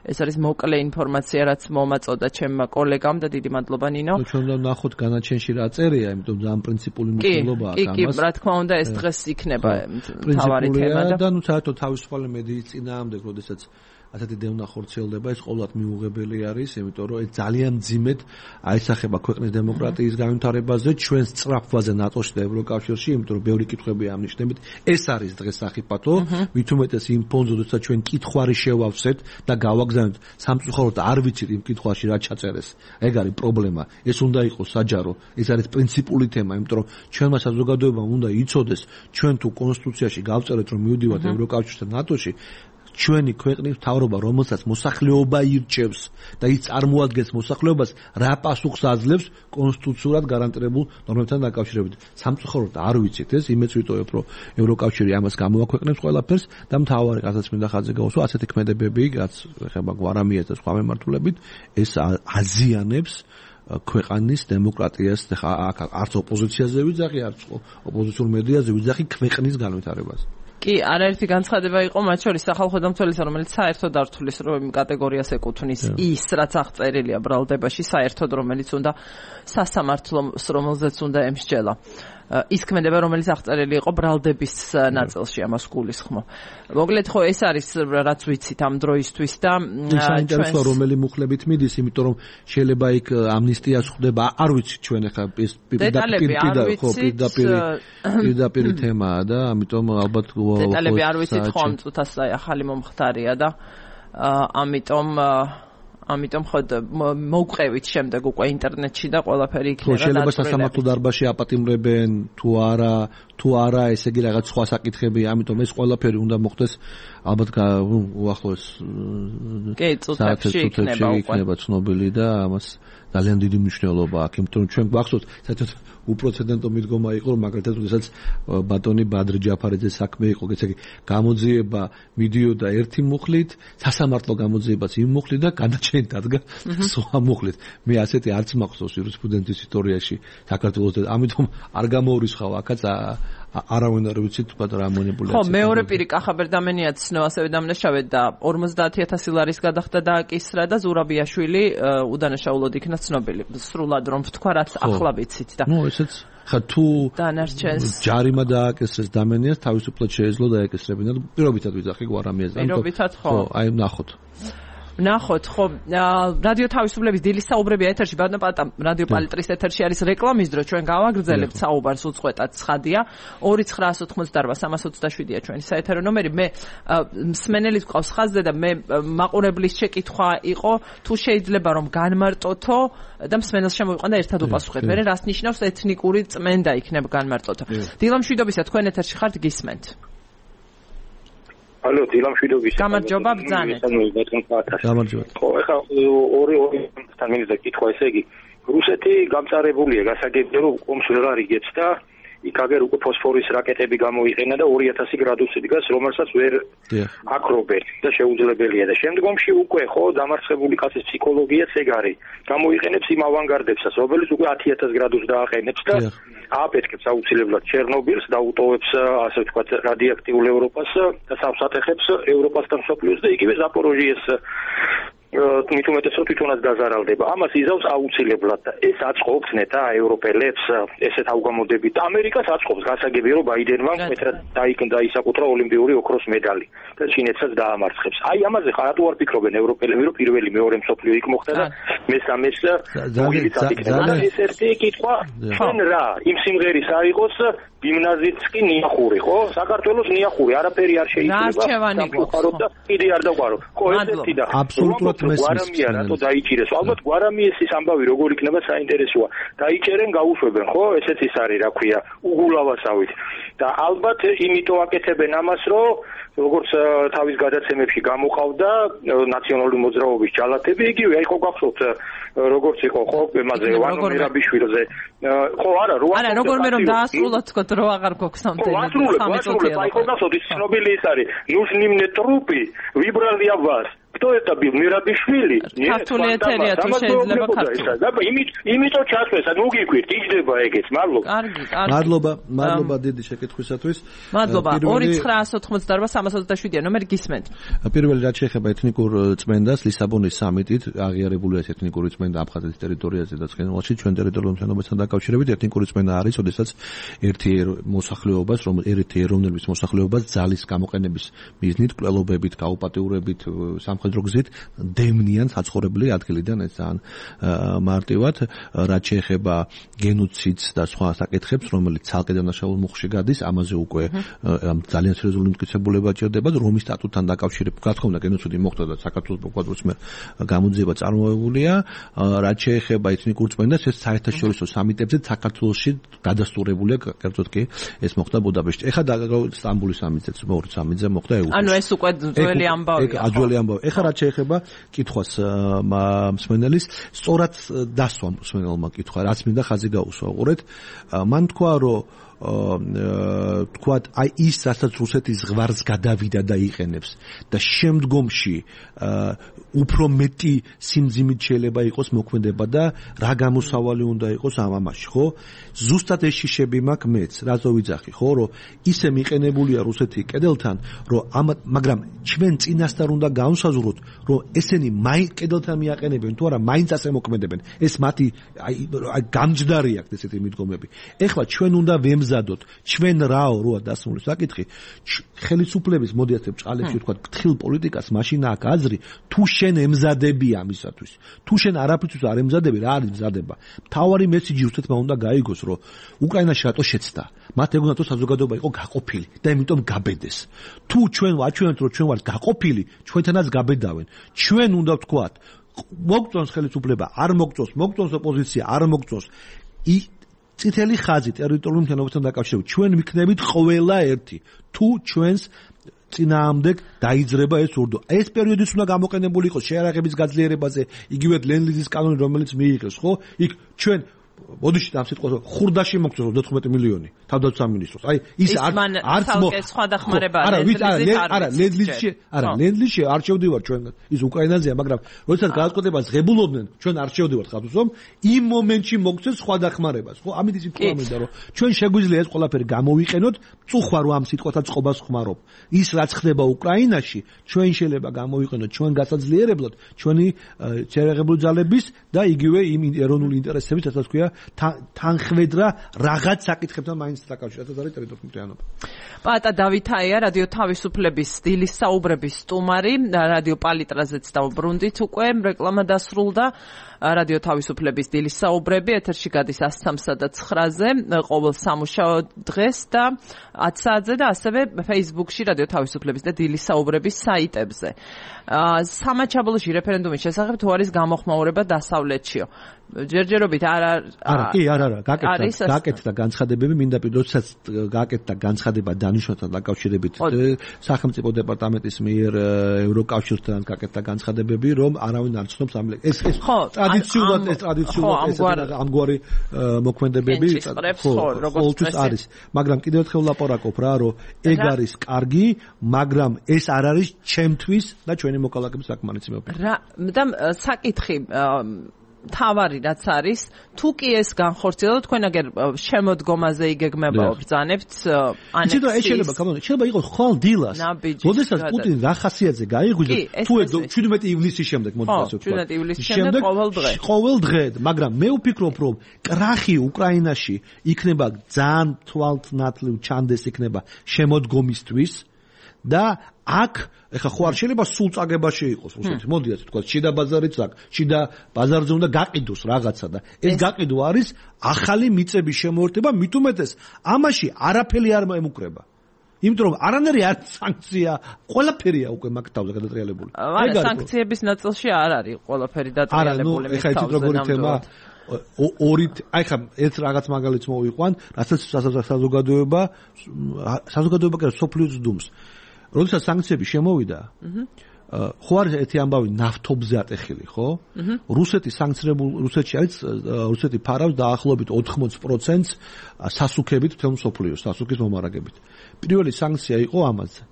ეს არის მოკლე ინფორმაცია, რაც მომაწოდა ჩემმა კოლეგამ და დიდი მადლობა ნინო. ჩვენ უნდა ნახოთ განაჩენში რა წერია, იმიტომ რომ ამ პრინციპული მნიშვნელობაა ამას. კი, კი, რა თქმა უნდა, ეს დღეს იქნება მთავარი თემა და ნუ საერთოდ თავისუფალი მედიის წინააღმდეგ, როდესაც ასეთი დევნა ხორციელდება, ეს ყოველად მიუღებელი არის, იმიტომ რომ ეს ძალიან მძიმედ აისახება ქვეყნის დემოკრატიის განვითარებაზე, ჩვენს სწრაფვაზე ნატოში და ევროკავშირში, იმიტომ რომ ბევრი კითხვები ამნიშნებით, ეს არის დღეს სახიფათო, მით უმეტეს იმ ფონზე, როცა ჩვენ კითხვარი შევავსეთ და გავაგზავნეთ, სამწუხაროდ არ ვიცით იმ კითხვაში რა ჩაწერეს. ეგ არის პრობლემა. ეს უნდა იყოს საჯარო, ეს არის პრინციპული თემა, იმიტომ რომ ჩვენმა საზოგადოებამ უნდა იცოდეს, ჩვენ თუ კონსტიტუციაში გავწერეთ, რომ მივდივართ ევროკავშირში და ნატოში, ჩვენი ქვეყნის მთავრობა, რომელსაც მოსახლეობა ირჩევს და ის წარმოადგენს მოსახლეობას, რა პასუხს აძლევს კონსტიტუციურად გარანტირებულ ნორმებთან დაკავშირებით. სამწუხაროდ არ ვიცით ეს, იმეც ვიტოვებ, რომ ევროკავშირი ამას გამოაქვეყნებს ყველაფერს და მთავარი რასაც მინდა ხაზზე გავუსვა, ასეთი ქმედებები, რაც ეხება გვარამიას და სხვა მემართულებით, ეს აზიანებს ქვეყნის დემოკრატიას და არც ოპოზიციაზე ვიძახი, არც ოპოზიციურ მედიაზე ვიძახი ქვეყნის განვითარებას. კი, არაერთი განცხადება იყო, მათ შორის სახალხო დამცველისა, რომელიც საერთოდ არ თulis რომ კატეგორიას ეკუთვნის ის, რაც აღწერილია ბრალდებაში, საერთოდ რომელიც უნდა სასამართლოს, რომელზეც უნდა ემსჯელა. ის ქმედება, რომელიც აღწერილი იყო ბრალდების ნაწილში, ამას გულისხმობ. მოკლედ ხო ეს არის რაც ვიცით ამ დროისთვის და საინტერესოა რომელი მუხლებით მიდის, იმიტომ რომ შეიძლება იქ ამნისტიას ხვდება, არ ვიცით ჩვენ ახლა ეს პირდაპირ თემაა და ამიტომ ალბათ დეტალები არ ვიცით ხო ამ წუთას ახალი მომხდარია და ამიტომ ამიტომ ხო მოვყევით შემდეგ უკვე ინტერნეტში და ყველაფერი იქნება. შეიძლება სასამართლო დარბაზში აპატიმრებენ თუ არა, თუ არა, ესე იგი რაღაც სხვა საკითხები, ამიტომ ეს ყველაფერი უნდა მოხდეს ალბათ უახლოეს წუთებში იქნება ცნობილი და ამას ძალიან დიდი მნიშვნელობა აქვს, იმიტომ რომ ჩვენ გვახსოვს, საერთოდ უპრეცედენტო მიდგომა იყო, რომ მაგალითად, როდესაც ბატონი ბადრ ჯაფარიძეს საქმე იყო, ესე იგი გამოძიება მიდიოდა ერთი მუხლით, სასამართლო გამოძიებაც იმ მუხლით და განაჩენი დადგა სხვა მუხლით. მე ასეთი არც მახსოვს იურისპრუდენციის ისტორიაში საქართველოს და ამიტომ არ გამოურისხავ აქაც არავინ არ ვიცით თქვა რა მონიპულაცია. ხო, მეორე პირი კახაბერდამენიაც ცნო ასევე დამნაშავედ და ორმოცდაათი ათასი ლარის გადახდა დააკისრა და ზურაბიაშვილი უდანაშაულოდ იქნა ცნობილი. სრულად რომ ვთქვა, რაც ახლა ვიცით და ნუ ესეც ხა თუ ჯარიმა დააკისრეს დამენიას, თავისუფლად შეეძლო დაეკისრებინა. პირობითად ვიძახი გვარამიას. პირობითად ხო. ხო, აი ნახოთ. ნახოთ, ხო, რადიო თავისუფლების დილის საუბრები ეთერში, ბატონო პატა, რადიო პალიტრის ეთერში არის რეკლამის დრო, ჩვენ გავაგრძელებთ საუბარს უწყვეტად ცხადია. ორი ცხრაას ოცდაოთხმოცდაარბა სამას ოცდაშვიდია ჩვენი საეთერო ნომერი. მე მსმენელით გვყავს ხაზზე და მე მაყურებლის შეკითხვა იყო, თუ შეიძლება რომ განმარტოთო და მსმენელს შემოვიყვანდა ერთად უპასუხეთ. მე რას ნიშნავს ეთნიკური წმენდა იქნება განმარტოთო. დილამშვიდობისა, თქვენ ეთერში ხართ, გისმენთ. ალო, დილამშვიდობის. გამარჯობა, ბრძანეთ. გამარჯობა. ხო, ეხლა ორი ორი თან მინდა კითხვა, ესე იგი, რუსეთი გამწარებულია, გასაგებია რომ ომს ვეღარ იგებს და იქ აგერ უკვე ფოსფორის რაკეტები გამოიყენა და ორი ათასი გრადუსი დგას, რომელსაც ვერ აკრობენ და შეუძლებელია და შემდგომში უკვე ხო დამარცხებული კაცის ფსიქოლოგიაც ეგ არის. გამოიყენებს იმ ავანგარდებსაც, რომელიც უკვე ათი ათას გრადუსს დააყენებს და ააფეთქებს აუცილებლად ჩერნობილს და უტოვებს, ასე ვთქვათ, რადიოაქტიულ ევროპას და სამსატეხებს ევროპას და მსოფლიოს და იგივე ზაპოროჟიეს მით უმეტეს რომ თვითონაც დაზარალდება. ამას იზავს აუცილებლად და ეს აწყობს ნეტა ევროპელებს ესეთ ავგამოდებით. ამერიკას აწყობს, გასაგებია რომ ბაიდენმა მეტად დაიკნდა ისაკუთრა ოლიმპიური ოქროს მედალი და ჩინეთსაც დაამარცხებს. აი ამაზე ხარ რატო არ ფიქრობენ ევროპელები, რომ პირველი მეორე მსოფლიო იქ მოხდა და მესამეს მოგილიც აკეთებდა. ეს ერთი კითხვა, ჩვენ რა, იმ სიმღერის არ იყოს გიმნაზიიც კი ნიახური, ხო? საქართველოს ნიახური, არაფერი არ შეიძლება. სამყაროთ და კიდე არ დაყარო. ხო, ესეთი და აბსოლუტურად გვარამია, რატო დაიჭირეს? ალბათ გვარამიესის ამბავი როგორ იქნება საინტერესოა. დაიჭერენ, გაუშვებენ, ხო? ესეც ის არის, რა ქვია, უგულავასავით. და ალბათ იმიტომ აკეთებენ ამას, რომ როგორც თავის გადაცემებში გამოყავდა ნაციონალური მოძრაობის ჯალათები, იგივე აი ხო გახსოვთ როგორც იყო ხო ემაზე ვანო მერაბიშვილზე ხო არა რო არა როგორ მე რომ დაასრულოთ თქო რო აღარ გვაქვს სამთელი სამი წუთი აი ხო გახსოვთ ის ცნობილი ის არის ნუშნიმნე ტრუპი ვიბრალია ვას кто это был Мирабишвили? Нет, თეატრია თუ შეიძლება ქართულად. და იმით იმიტომ ჩასვეს, ანუ გიქვირთ, იჯდება ეგეც, მადლობა. კარგი, კარგი. მადლობა, მადლობა დიდი შეკითხვისათვის. მადლობა. ორი ცხრა ოცდაოთხმოცდაოთხ სამას ოცდაშვიდია ნომერი გისმენთ. პირველი რაც შეეხება ეთნიკურ წმენდას, ლისაბონის სამიტით აღიარებულია ეს ეთნიკური წმენდა აფხაზეთის ტერიტორიაზე და ცხენვალში ჩვენ ტერიტორიულ მშენებლობასთან დაკავშირებით ეთნიკური წმენდა არის, ოდესაც ერთი მოსახლეობას, რომ ერთი ეროვნების მოსახლეობას ძალის გამოყენების მიზნით, კვლელობებით, გაუპატიურებით სამხედრო გზით დევნიან საცხოვრებელი ადგილიდან ეს ძალიან მარტივად რაც შეეხება გენოციდს და სხვა საკითხებს რომელიც ცალკე დანაშაულ მუხში გადის ამაზე უკვე ძალიან სერიოზული მტკიცებულება ჭირდება რომის სტატუტთან დაკავშირებით რა თქმა უნდა გენოციდი მოხდა და საქართველოს პროკურატურის მიერ გამოძიება წარმოებულია რაც შეეხება ეთნიკურ წმენდას ეს საერთაშორისო სამიტებზე საქართველოში გადასტურებულია კერძოდ კი ეს მოხდა ბუდაპეშტში ეხლა სტამბოლის სამიტზეც მეორე სამიტზე მოხდა ეუს ანუ ეს უკვე ძველი ამბავია ძველი ამბავი ეხლა რაც შეეხება კითხვას მსმენელის სწორად დასვა მსმენელმა კითხვა რაც მინდა ხაზი გაუსვა უყურეთ მან თქვა რომ თქვათ აი ის რასაც რუსეთის ზღვარს გადავიდა და იყენებს და შემდგომში უფრო მეტი სიმძიმით შეიძლება იყოს მოქმედება და რა გამოსავალი უნდა იყოს ამ ამაში ხო ზუსტად ეს შიშები მაქვს მეც რაზო ვიძახი ხო რომ ისე მიყენებულია რუსეთი კედელთან რომ ამ მაგრამ ჩვენ წინასწარ უნდა განვსაზღვროთ რომ ესენი მაინც კედელთან მიაყენებენ თუ არა მაინც ასე მოქმედებენ ეს მათი აი გამჯდარი აქვს ესეთი მიდგომები ეხლა ჩვენ უნდა ვემზადოთ ჩვენ რაო როა დასმული საკითხი ხელისუფლების მოდი ასე ბჭყალებში ვთქვა თხილ პოლიტიკას მაშინ აქვს აზრი თუ შენ ემზადები ამისათვის თუ შენ არაფრისთვის არ ემზადები რა არის მზადება მთავარი მესიჯი რუსეთმა უნდა გაიგოს რომ უკრაინაში რატო შეცდა მათ ეგონა თუ საზოგადოება იყო გაყოფილი და იმიტომ გაბედეს თუ ჩვენ ვაჩვენებთ რომ ჩვენ ვართ გაყოფილი ჩვენთანაც გაბედავენ ჩვენ უნდა ვთქვათ მოგწონს ხელისუფლება არ მოგწონს მოგწონს ოპოზიცია არ მოგწონს ი წითელი ხაზი ტერიტორიულ მშენებლობასთან დაკავშირებით ჩვენ ვიქნებით ყველა ერთი თუ ჩვენს წინააღმდეგ დაიძრება ეს ურდო ეს პერიოდიც უნდა გამოყენებული იყოს შეარაღების გაძლიერებაზე იგივე ლენლიზის კანონი რომელიც მიიღეს ხო იქ ჩვენ მოდიში ამ სიტყვას ხურდაში მოგწონს ოცდათხმეტი მილიონი თავდაცვის სამინისტროს აი ის არც სხვა დახმარება არა არა ლენლიზში არა ლენლიზში არ შევდივარ ჩვენ ის უკრაინაზეა მაგრამ როდესაც გადაწყვეტებას ღებულობდნენ ჩვენ არ შევდივართ ხათუსომ იმ მომენტში მოგწეს სხვა დახმარებას ხო ამით ის თქვა მინდა რომ ჩვენ შეგვიძლია ეს ყველაფერი გამოვიყენოთ წუხვა რომ ამ სიტყვასაც წყობას ხმარობ ის რაც ხდება უკრაინაში ჩვენ შეიძლება გამოვიყენოთ ჩვენ გასაძლიერებლად ჩვენი შეერაღებული ძალების და იგივე იმ ეროვნული ინტერესების რასაც ქვია თანხმედრა რაღაც საკითხებთან მაინც დაკავშირებით არის ტერიტორიული მთლიანობა. პატა დავითაია რადიო თავისუფლების დილის საუბრების სტუმარი, რადიო პალიტრაზეც დავბრუნდით უკვე რეკლამა დასრულდა. რადიო თავისუფლების დილის საუბრები ეთერში გადის ას სამსა და ცხრაზე ყოველ სამუშაო დღეს და ათ საათზე და ასევე Facebook-ში რადიო თავისუფლების და დილის საუბრების საიტებზე. სამაჩაბლოში რეფერენდუმის შესახებ თუ არის გამოხმაურება დასავლეთშიო. ჯერჯერობით არ არა კი არა არა გაკეთდა გაკეთდა განცხადებები მინდა პირდოსაც გაკეთდა განცხადება დანიშნულთან დაკავშირებით სახელმწიფო დეპარტამენტის მიერ ევროკავშირთან გაკეთდა განცხადებები რომ არავინ არ ცნობს ამ ეს ეს ტრადიციულად ეს ტრადიციულად ამგვარი მოქმედებები ყოველთვის არის მაგრამ კიდევ ერთხელ ვლაპარაკობ რა რომ ეგ არის კარგი მაგრამ ეს არ არის ჩემთვის და ჩვენი მოქალაქეების საკმარისი რა და საკითხი თავარი რაც არის თუ კი ეს განხორციელო თქვენ აგერ შემოდგომაზე იგეგმება ბრძანებთ ანექსის შეიძლება ეს შეიძლება კამონ შეიძლება იყოს ხვალ დილას როდესაც პუტინი რა ხასიათზე გაიღვიძა თუ შვიდმეტი ივლისის შემდეგ მოდი ასე ვთქვა შვიდმეტი ივლისის შემდეგ ყოველ დღე ყოველ დღე მაგრამ მე ვფიქრობ რომ კრახი უკრაინაში იქნება ძალიან თვალთნათლივ ჩანდეს იქნება შემოდგომისთვის და აქ ეხა ხო არ შეიძლება სულ წაგებაში იყოს რუსეთი. მოდი ასე თქვა, შიდა ბაზარიც აქ, შიდა ბაზარზე უნდა გაყიდოს რაღაცა და ეს გაყიდვა არის ახალი მიწების შემოერთება, მით უმეტეს ამაში არაფერი არ ემუქრება. იმიტომ რომ არანაირი არ სანქცია, ყველაფერია უკვე მაგ თავზე გადატრიალებული. არა, სანქციების ნაწილში არ არის ყველაფერი დაწრიალებული. არა, ნუ ეხა იცით როგორი თემა ორი აი ხა ერთ რაღაც მაგალითს მოვიყვან, რასაც საზოგადოება საზოგადოება კი სოფლიოს დუმს. როდესაც სანქციები შემოვიდა, ხო არის ერთი ამბავი ნავთობზე ატეხილი, ხო? რუსეთი სანქცირებული რუსეთში არის რუსეთი ფარავს დაახლოებით ოთხმოცი პროცენტს სასუქებით თემ სოფლიოს, სასუქის მომარაგებით. პირველი სანქცია იყო ამაზე.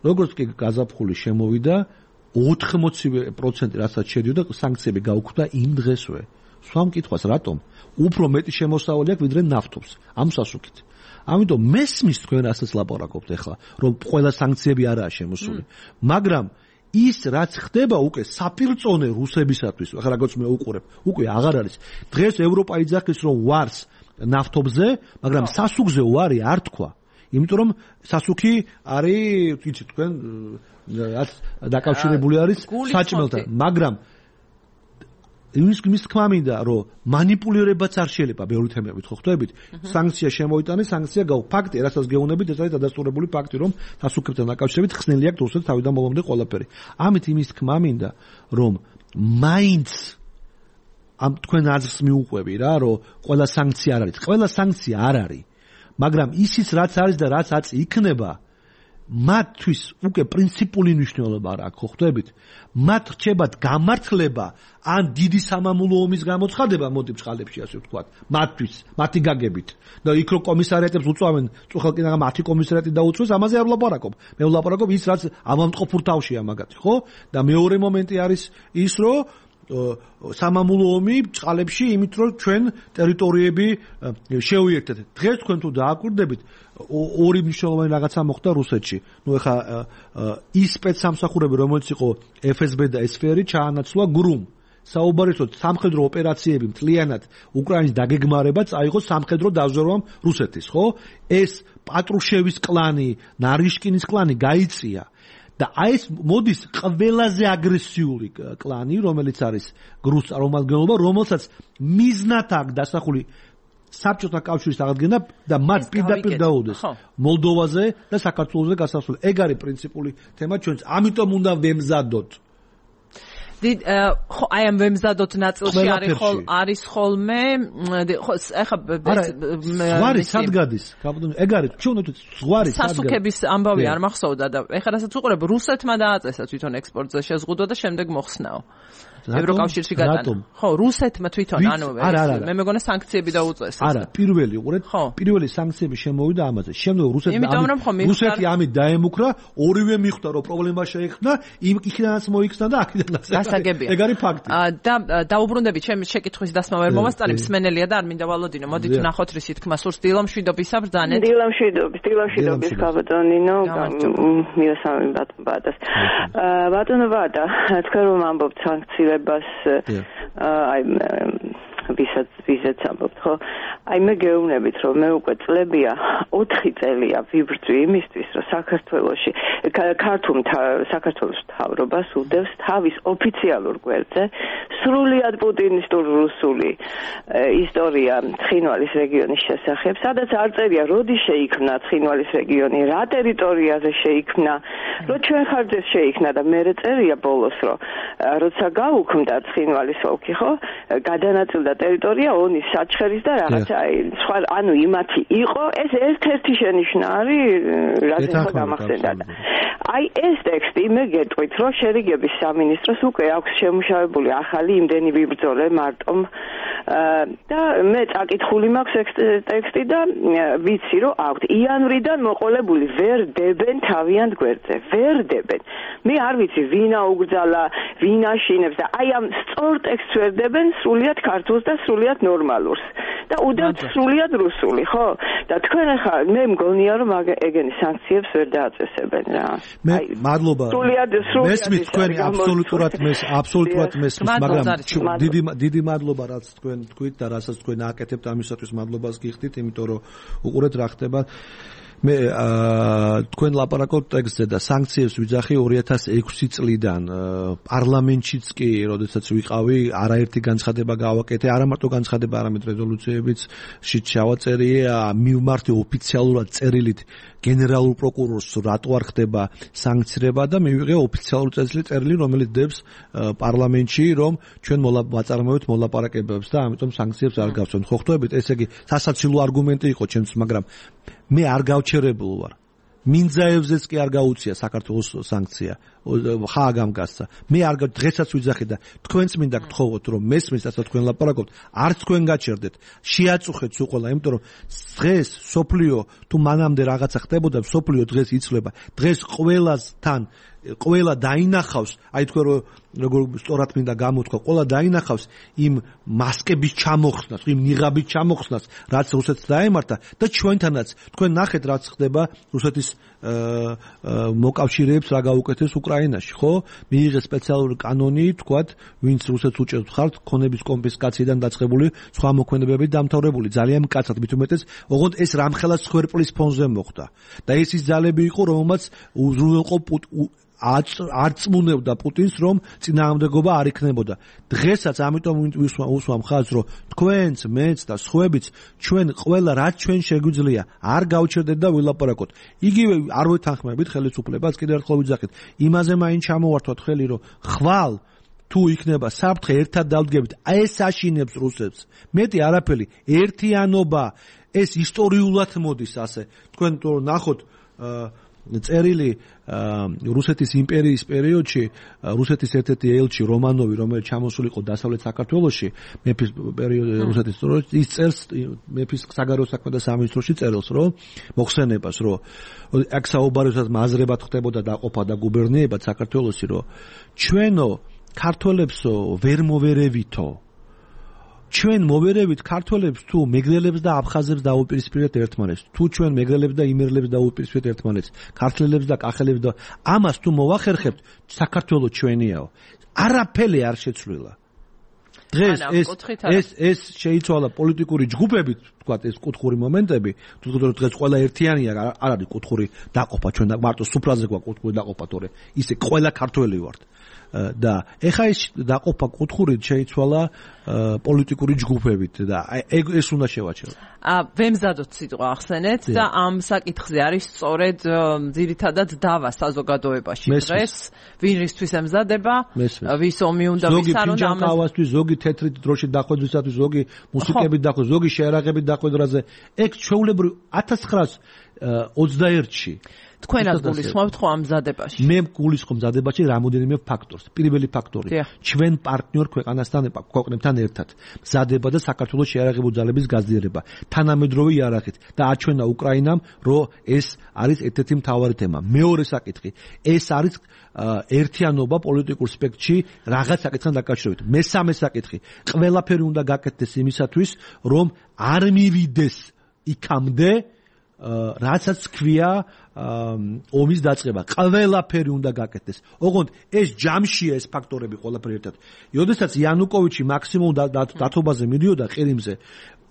როგორც კი გაზაფხული შემოვიდა, ოთხმოცი პროცენტი რასაც შედიოდა, სანქციები გაუქმდა იმ დღესვე. სვამ კითხვას რატომ? უფრო მეტი შემოსავალი აქვს ვიდრე ნავთობს ამ სასუქით. ამიტომ მესმის თქვენ რასაც ლაპარაკობთ ახლა, რომ ყველა სანქციები არაა შემოსული. მაგრამ ის რაც ხდება უკვე საფირწონე რუსებისათვის, ახლა როგორც მე უყურებ, უკვე აღარ არის. დღეს ევროპა იძახის რომ ვარს ნავთობზე, მაგრამ სასუქზე ვარი არ თქვა. იმიტომ რომ სასუქი არის, ვიცით თქვენ, რაც დაკავშირებული არის საჭმელთან, მაგრამ იმის იმის თქმა მინდა რომ манипуლირებაც არ შეიძლება ბევრი თემებით ხო ხვდებით სანქცია შემოიტანეს სანქცია გაუ ფაქტი რასაც გეუბნებით ეს არის დადასტურებული ფაქტი რომ სასუქებთან დაკავშირებით ხსნელი აქვს რუსეთს თავიდან ბოლომდე ყველაფერი ამით იმის თქმა მინდა რომ მაინც ამ თქვენ აზრს მიუყვები რა რომ ყველა სანქცია არ არის ყველა სანქცია არ არის მაგრამ ისიც რაც არის და რაც აწ იქნება მათთვის უკვე პრინციპული მნიშვნელობა არ აქვს, ხო ხვდებით? მათ რჩებათ გამართლება ან დიდი სამამულო ომის გამოცხადება მოდი ბჭყალებში ასე ვთქვათ, მათთვის, მათი გაგებით. და იქ რო კომისარიატებს უწვავენ, წუხალკინაღა მათი კომისარიატი დაუწვეს, ამაზე არ ვლაპარაკობ. მე ვლაპარაკობ ის რაც ავადმყოფურ თავშია მაგათი, ხო? და მეორე მომენტი არის ის რომ სამამულო ომი ბჭყალებში იმით რომ ჩვენ ტერიტორიები შევიერთეთ. დღეს თქვენ თუ დააკვირდებით ორი მნიშვნელოვანი რაღაცა მოხდა რუსეთში. ნუ ეხა ის სპეცსამსახურები რომელიც იყო ეფ ეს ბე და ეს ეფ ერი ჩაანაცვლა გრუმ. საუბარისო სამხედრო ოპერაციები მთლიანად უკრაინის დაგეგმარება წაიღო სამხედრო დაზვერვამ რუსეთის, ხო? ეს პატრუშევის კლანი, ნარიშკინის კლანი გაიწია. და აი ეს მოდის ყველაზე აგრესიული კლანი, რომელიც არის გრუს წარმომადგენლობა, რომელსაც მიზნად აქვს დასახული საბჭოთა კავშირის აღდგენა და მათ პირდაპირ დაუდეს მოლდოვაზე და საქართველოზე გასასვლელი. ეგ არის პრინციპული თემა ჩვენც. ამიტომ უნდა ვემზადოთ. ხო, აი ამ ვემზადოთ ნაწილში არის ხოლ არის ხოლმე ხო ეხა ზღვარი სად გადის? ეგ არის ჩვენ ვთქვით ზღვარი სად გადის? სასუქების ამბავი არ მახსოვდა და ეხა რასაც უყურებ რუსეთმა დააწესა თვითონ ექსპორტზე შეზღუდვა და შემდეგ მოხსნაო. ევროკავშირში გადანა. ხო, რუსეთმა თვითონ ანუ მე მეგონა სანქციები დაუწესა. არა, პირველი უყურეთ, პირველი სანქციები შემოვიდა ამაზე. შემდეგ რუსეთმა რუსეთი ამით დაემუქრა, ორივე მიხვდა რომ პრობლემა შეექმნა, იქიდანაც მოიქცნა და აქიდანაც. გასაგებია. ეგ არის ფაქტი. და დაუბრუნდები ჩემი შეკითხვის დასმა ვერ მომასწარი, მსმენელია და არ მინდა ვალოდინო. მოდით ვნახოთ რისი თქმა სურს დილამშვიდობისა ბრძანეთ. დილამშვიდობის, დილამშვიდობის გაბატონინო, მირასამი ბატონბადას. ბატონო ბადა, თქვენ რომ ამბობთ სანქციები ბას აი ვისაც ვისაც ამბობთ ხო აი მე გეუბნებით რომ მე უკვე წლებია ოთხი წელია ვიბრძვი იმისთვის რომ საქართველოში ქართულ საქართველოს მთავრობას უდევს თავის ოფიციალურ გვერდზე სრულიად პუტინისტურ რუსული ისტორია ცხინვალის რეგიონის შესახებ სადაც არ წერია როდის შეიქმნა ცხინვალის რეგიონი რა ტერიტორიაზე შეიქმნა რო ჩვენ ხარჯზე შეიქმნა და მე წერია ბოლოს რომ როცა გაუქმდა ცხინვალის ოლქი ხო გადანაწილდა ტერიტორია ონის საჩხერის და რაღაცა სხვა ანუ იმათი იყო ეს ერთ-ერთი შენიშვნა არის რაც ახლა გამახსენდა და აი ეს ტექსტი მე გეტყვით რომ შერიგების სამინისტროს უკვე აქვს შემუშავებული ახალი იმდენი ვიბრძოლე მარტომ და მე წაკითხული მაქვს ტექსტი და ვიცი რომ აქვთ იანვრიდან მოყოლებული ვერ დებენ თავიანთ გვერდზე ვერ დებენ მე არ ვიცი ვინა უგრძალა ვინა შინებს და აი ამ სწორ ტექსტს ვერ დებენ სრულიად ქართულს და სრულიად ნორმალურს და უდევთ სრულიად რუსული ხო და თქვენ ახლა მე მგონია რომ ეგენი სანქციებს ვერ დააწესებენ რა მე მადლობა მესმის თქვენ აბსოლუტურად მეს აბსოლუტურად მესმის მაგრამ დიდი დიდი მადლობა რაც თქვენ თქვით და რასაც თქვენ აკეთებთ ამისათვის მადლობას გიხდით იმიტომ რომ უყურეთ რა ხდება მე თქვენ ლაპარაკობთ ტექსტზე და სანქციებს ვიძახი ორი ათას ექვსი წლიდან პარლამენტშიც კი, როდესაც ვიყავი, არაერთი განცხადება გავაკეთე, არა მარტო განცხადება, არამედ რეზოლუციებიც შევაწერია, მივმართე ოფიციალურად წერილით გენერალურ პროკურორს, რატო არ ხდება სანქცირება და მივიღე ოფიციალური წერილი, რომელიც დებს პარლამენტში, რომ ჩვენ ვაწარმოებთ მოლაპარაკებებს და ამიტომ სანქციებს არ გავცემთ. ხო ხვდებით, ესე იგი სასაცილო არგუმენტი იყო ჩემთვის, მაგრამ მე არ გავჩერებულ ვარ. მინძაევზეც კი არ გაუწია საქართველოს სანქცია. ხა გამგასცა. მე არ დღესაც ვიძახი და თქვენც მინდა გთხოვოთ, რომ მესმის ასე თქვენ ლაპარაკობთ, არც თქვენ გაჩერდეთ. შეაწუხეთ სულ ყველა, იმიტომ რომ დღეს სოფლიო თუ მანამდე რაღაცა ხდებოდა, სოფლიო დღეს იცვლება. დღეს ყველასთან ყველა დაინახავს, აი თქვენ როგორ სწორად მინდა გამოთქვა, ყველა დაინახავს იმ მასკების ჩამოხსნას, იმ ნიღაბის ჩამოხსნას, რაც რუსეთს დაემართა და ჩვენთანაც თქვენ ნახეთ რაც ხდება რუსეთის მოკავშირეებს რა გაუკეთეს უკრაინაში, ხო? მიიღეს სპეციალური კანონი, თქვათ, ვინც რუსეთს უჭერთ ხართ, ქონების კონფისკაციიდან დაწყებული სხვა მოქმედებებით დამთავრებული, ძალიან მკაცრად, მით უმეტეს, ოღონდ ეს რამხელა სხერპლის ფონზე მოხდა. და ეს ის ძალები იყო, რომელმაც უზრუნველყო არ წმუნებდა პუტინს, რომ წინააღმდეგობა არ იქნებოდა. დღესაც ამიტომ უსვამ ხაზს, რომ თქვენც, მეც და სხვაებიც ჩვენ ყველა რაც ჩვენ შეგვიძლია არ გავჩერდეთ და ვილაპარაკოთ. იგივე არ ვეთანხმებით ხელისუფლებას, კიდევ ერთხელ ვიძახით, იმაზე მაინც ჩამოვართვათ ხელი, რომ ხვალ თუ იქნება საფრთხე ერთად დავდგებით, ეს აშინებს რუსებს. მეტი არაფერი, ერთიანობა, ეს ისტორიულად მოდის ასე. თქვენ თუ ნახოთ წერილი რუსეთის იმპერიის პერიოდში, რუსეთის ერთ-ერთი ელჩი რომანოვი, რომელიც ჩამოსულიყო დასავლეთ საქართველოში, მეფის პერიოდში რუსეთის დროს, ის წერს მეფის საგარეო საქმეთა სამინისტროში წერილს, რომ მოხსენებას, რომ აქ საუბარისას მაზრებად ხდებოდა დაყოფა და გუბერნიებად საქართველოში, რომ ჩვენო ქართველებსო ვერ მოვერევითო. ჩვენ მოვერევით ქართველებს თუ მეგრელებს და აფხაზებს დაუპირისპირეთ ერთმანეთს, თუ ჩვენ მეგრელებს და იმერლებს დაუპირისპირეთ ერთმანეთს, ქართველებს და კახელებს და ამას თუ მოვახერხებთ, საქართველო ჩვენიაო. არაფერი არ შეცვლილა. დღეს ეს ეს ეს შეიცვალა პოლიტიკური ჯგუფებით, თქვათ, ეს კუთხური მომენტები, თუ დღეს ყველა ერთიანია, არ არის კუთხური დაყოფა, ჩვენ მარტო სუფრაზე გვაქვს კუთხური დაყოფა, თორე ისე ყველა ქართველი ვართ. და ეხა ეს დაყოფა კუთხურით შეიცვალა პოლიტიკური ჯგუფებით და ეს უნდა შევაჩეროთ. ა ვემზადოთ სიტყვა ახსენეთ და ამ საკითხზე არის სწორედ ძირითადად დავა საზოგადოებაში დღეს, ვინ რისთვის ემზადება, ვის ომი უნდა ვისარონ, ზოგი ფინჯანკავასთვის, ზოგი თეთრით დროშით დახვედრისათვის, ზოგი მუსიკებით დახვედრ, ზოგი შეარაღებით დახვედრაზე, ეგ ჩვეულებრივ ათას ცხრაას ოცდაერთში თქვენაც გულისხმობთ ხო ამ მზადებაში? მე გულისხმობ მზადებაში რამოდენიმე ფაქტორს. პირველი ფაქტორი, ჩვენ პარტნიორ ქვეყანასთან ქვეყნებთან ერთად მზადება და საქართველოს შეიარაღებული ძალების გაზიარება, თანამედროვე იარაღით და აჩვენა უკრაინამ, რომ ეს არის ერთ-ერთი მთავარი თემა. მეორე საკითხი, ეს არის ერთიანობა პოლიტიკურ სპექტრში რაღაც საკითხთან დაკავშირებით. მესამე საკითხი, ყველაფერი უნდა გაკეთდეს იმისათვის, რომ არ მივიდეს იქამდე რასაც ქვია ომის დაწყება. ყველაფერი უნდა გაკეთდეს. ოღონდ ეს ჯამშია ეს ფაქტორები ყველაფერი ერთად. როდესაც იანუკოვიჩი მაქსიმუმ დათობაზე მიდიოდა ყირიმზე,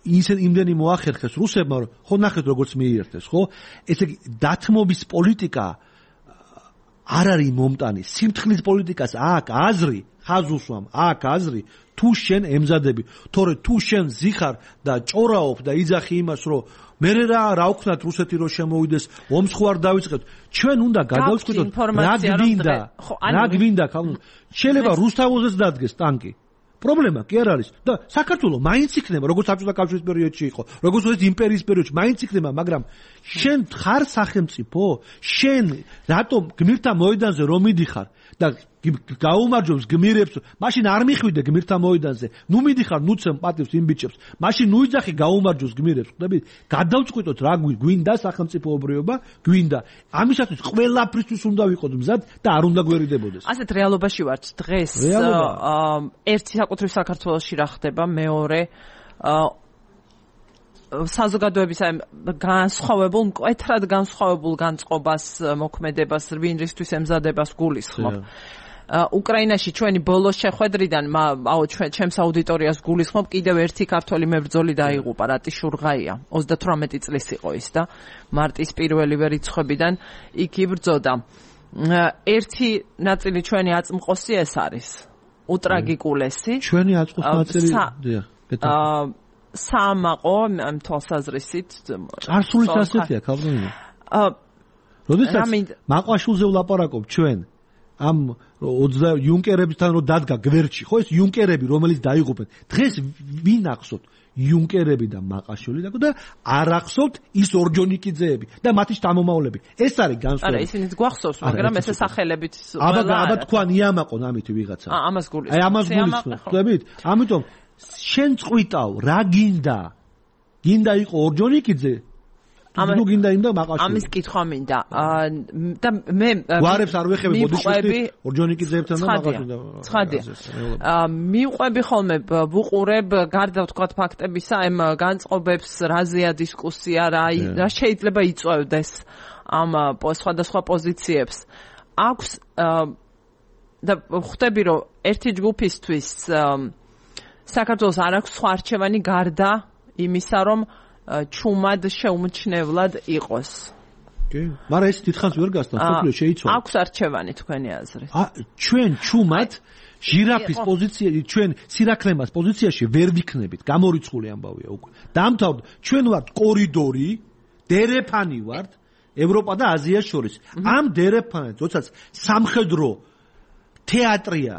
ისე იმდენი მოახერხეს რუსებმა, ხო ნახეთ როგორც მიიერთეს, ხო? ესე იგი დათმობის პოლიტიკა არ არის მომტანი. სიმთხრის პოლიტიკას აქ აზრი, ხაზუსვამ, აქ აზრი თუ შენ ემზადები, თორე თუ შენ ზიხარ და ჭორაობ და იძახი იმას, რომ მე რა რა ვქნათ რუსეთი რო შემოვიდეს, ომს ხო არ დავიწყებთ. ჩვენ უნდა გადავწყვიტოთ რა გვინდა, რა გვინდა, შეიძლება რუსთავოზეც დადგეს ტანკი. პრობლემა კი არ არის და საქართველოს მაინც იქნება, როგორც საბჭოთა კავშირის პერიოდში იყო, როგორც ეს იმპერიის პერიოდში მაინც იქნება, მაგრამ შენ ხარ სახელმწიფო, შენ რატომ გმირთა მოედანზე რომ მიდიხარ და გაუმარჯვებს გმირებს, მაშინ არ მიხვიდე გმირთა მოედანზე, ნუ მიდიხარ, ნუ ცემ პატივს იმ ბიჭებს, მაშინ ნუ იძახი გაუმარჯვებს გმირებს, ხვდები? გადავწყვიტოთ რა გვინდა სახელმწიფოებრიობა, გვინდა. ამისათვის ყველაფრისთვის უნდა ვიყოთ მზად და არ უნდა გვერიდებოდეს. ასეთ რეალობაში ვართ დღეს. ერთი საკუთრივ საქართველოში რა ხდება, მეორე საზოგადოების აი განსხვავებულ, მკვეთრად განსხვავებულ განწყობას, მოქმედებას, ვინ რისთვის ემზადებას გულისხმობ. უკრაინაში ჩვენი ბოლოს შეხვედრიდან აუ ჩვენ ჩემს აუდიტორიას გულისხმობ კიდევ ერთი ქართველი მებრძოლი დაიღუპა რატი შურღაია ოცდათვრამეტი წლის იყო ის და მარტის პირველივე რიცხვებიდან იქ იბრძოდა ერთი ნაწილი ჩვენი აწმყოსი ეს არის უტრაგიკულესი ჩვენი აწმყოს ნაწილი დიახ აა სამაყო ამ თვალსაზრისით წარსულის ასეთია ქალბინი აა როდესაც მაყვაშულზე ვლაპარაკობ ჩვენ ამ ოცდა იუნკერებთან რომ დადგა გვერდში ხო ეს იუნკერები რომელიც დაიღუპენ დღეს ვინ ახსოვთ იუნკერები და მაყაშვილი და არ ახსოვთ ის ორჯონიკიძეები და მათი შთამომავლები ეს არის განსხვავება არა ისინიც გვახსოვს მაგრამ ესე სახელებით აბა აბა თქვა ნიამაყონ ამითი ვიღაცა აა ამას გულისხმობ აი ამას გულისხმობ ხვდებით ამიტომ შენ წყვიტავ რა გინდა გინდა იყო ორჯონიკიძე ნუ გინდა იმ და მაყაშვილი ამის კითხვა მინდა და მე გვარებს არ ვეხები ბოდიშუშტი ორჯონიკიძეებთან და მაყაშვილთან ცხადია მიყვები ხოლმე ვუყურებ გარდა ვთქვათ ფაქტებისა ამ განწყობებს რაზეა დისკუსია რა რა შეიძლება იწვევდეს ამ სხვადასხვა პოზიციებს აქვს და ხვდები რომ ერთი ჯგუფისთვის საქართველოს არ აქვს სხვა არჩევანი გარდა იმისა რომ ჩუმად შეუმჩნევლად იყოს. კი, მაგრამ ეს დიდხანს ვერ გასთან, სოფლიო შეიცვალა. აქვს არჩევანი თქვენი აზრით. ა ჩვენ ჩუმად ჟირაფის პოზიცია, ჩვენ სირაქლემას პოზიციაში ვერ ვიქნებით, გამორიცხული ამბავია უკვე. დამთავრდა, ჩვენ ვართ კორიდორი, დერეფანი ვართ ევროპა და აზიას შორის. ამ დერეფანს, როდესაც სამხედრო თეატრია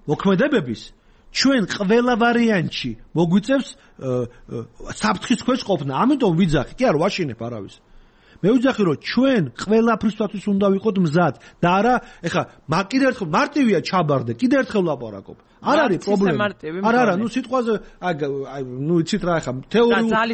მოქმედებების ჩვენ ყველა ვარიანტში მოგვიწევს საფრთხის ქვეშ ყოფნა. ამიტომ ვიძახი, კი არ ვაშინებ არავის. მე ვიძახი რომ ჩვენ ყველაფრისთვის უნდა ვიყოთ მზად და არა, ეხა კიდე ერთხელ მარტივია ჩაბარდე, კიდე ერთხელ ლაპარაკობ. არ არის პრობლემა. არა, არა, ნუ სიტყვაზე, აი, ნუ იცით რა, ეხა თეორიული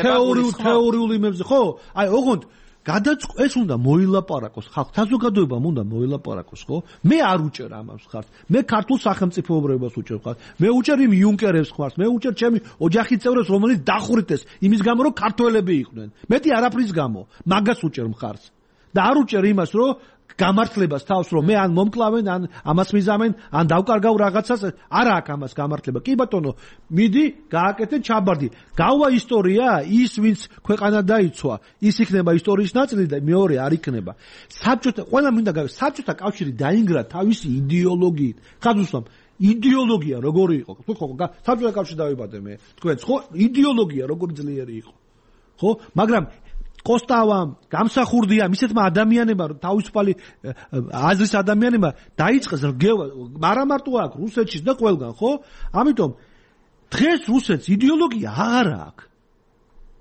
თეორიული თეორიული იმებზე, ხო? აი, ოღონდ გადაწყ ეს უნდა მოილაპარაკოს ხალხ საზოგადოებამ უნდა მოილაპარაკოს ხო მე არ უჭერ ამას ხართ მე ქართულ სახელმწიფოებრიობას უჭერ ხართ მე უჭერ იმ იუნკერებს ხართ მე უჭერ ჩემი ოჯახის წევრებს რომელიც დახვრიტეს იმის გამო რომ ქართველები იყვნენ მეტი არაფრის გამო მაგას უჭერ მხარს და არ უჭერ იმას რომ გამართლებას თავს რომ მე ან მომკლავენ ან ამას მიზამენ ან დავკარგავ რაღაცას არა აქვს ამას გამართლება კი ბატონო მიდი გააკეთე ჩაბარდი გავა ისტორია ის ვინც ქვეყანა დაიცვა ის იქნება ისტორიის ნაწილი და მეორე არ იქნება საბჭოთა ყველა მინდა საბჭოთა კავშირი დაინგრა თავისი იდეოლოგიით ხაზუსამ იდეოლოგია როგორი იყო თუ ხო საბჭოთა კავშირში დავიბადე მე თქვენ ხო იდეოლოგია როგორი ძლიერი იყო ხო მაგრამ კოსტავამ გამსახურდია მისეთმა ადამიანებმა თავისუფალი აზრის ადამიანებმა დაიწყეს რგევა არა მარტო აქ რუსეთშიც და ყველგან ხო ამიტომ დღეს რუსეთს იდეოლოგია აღარ აქვს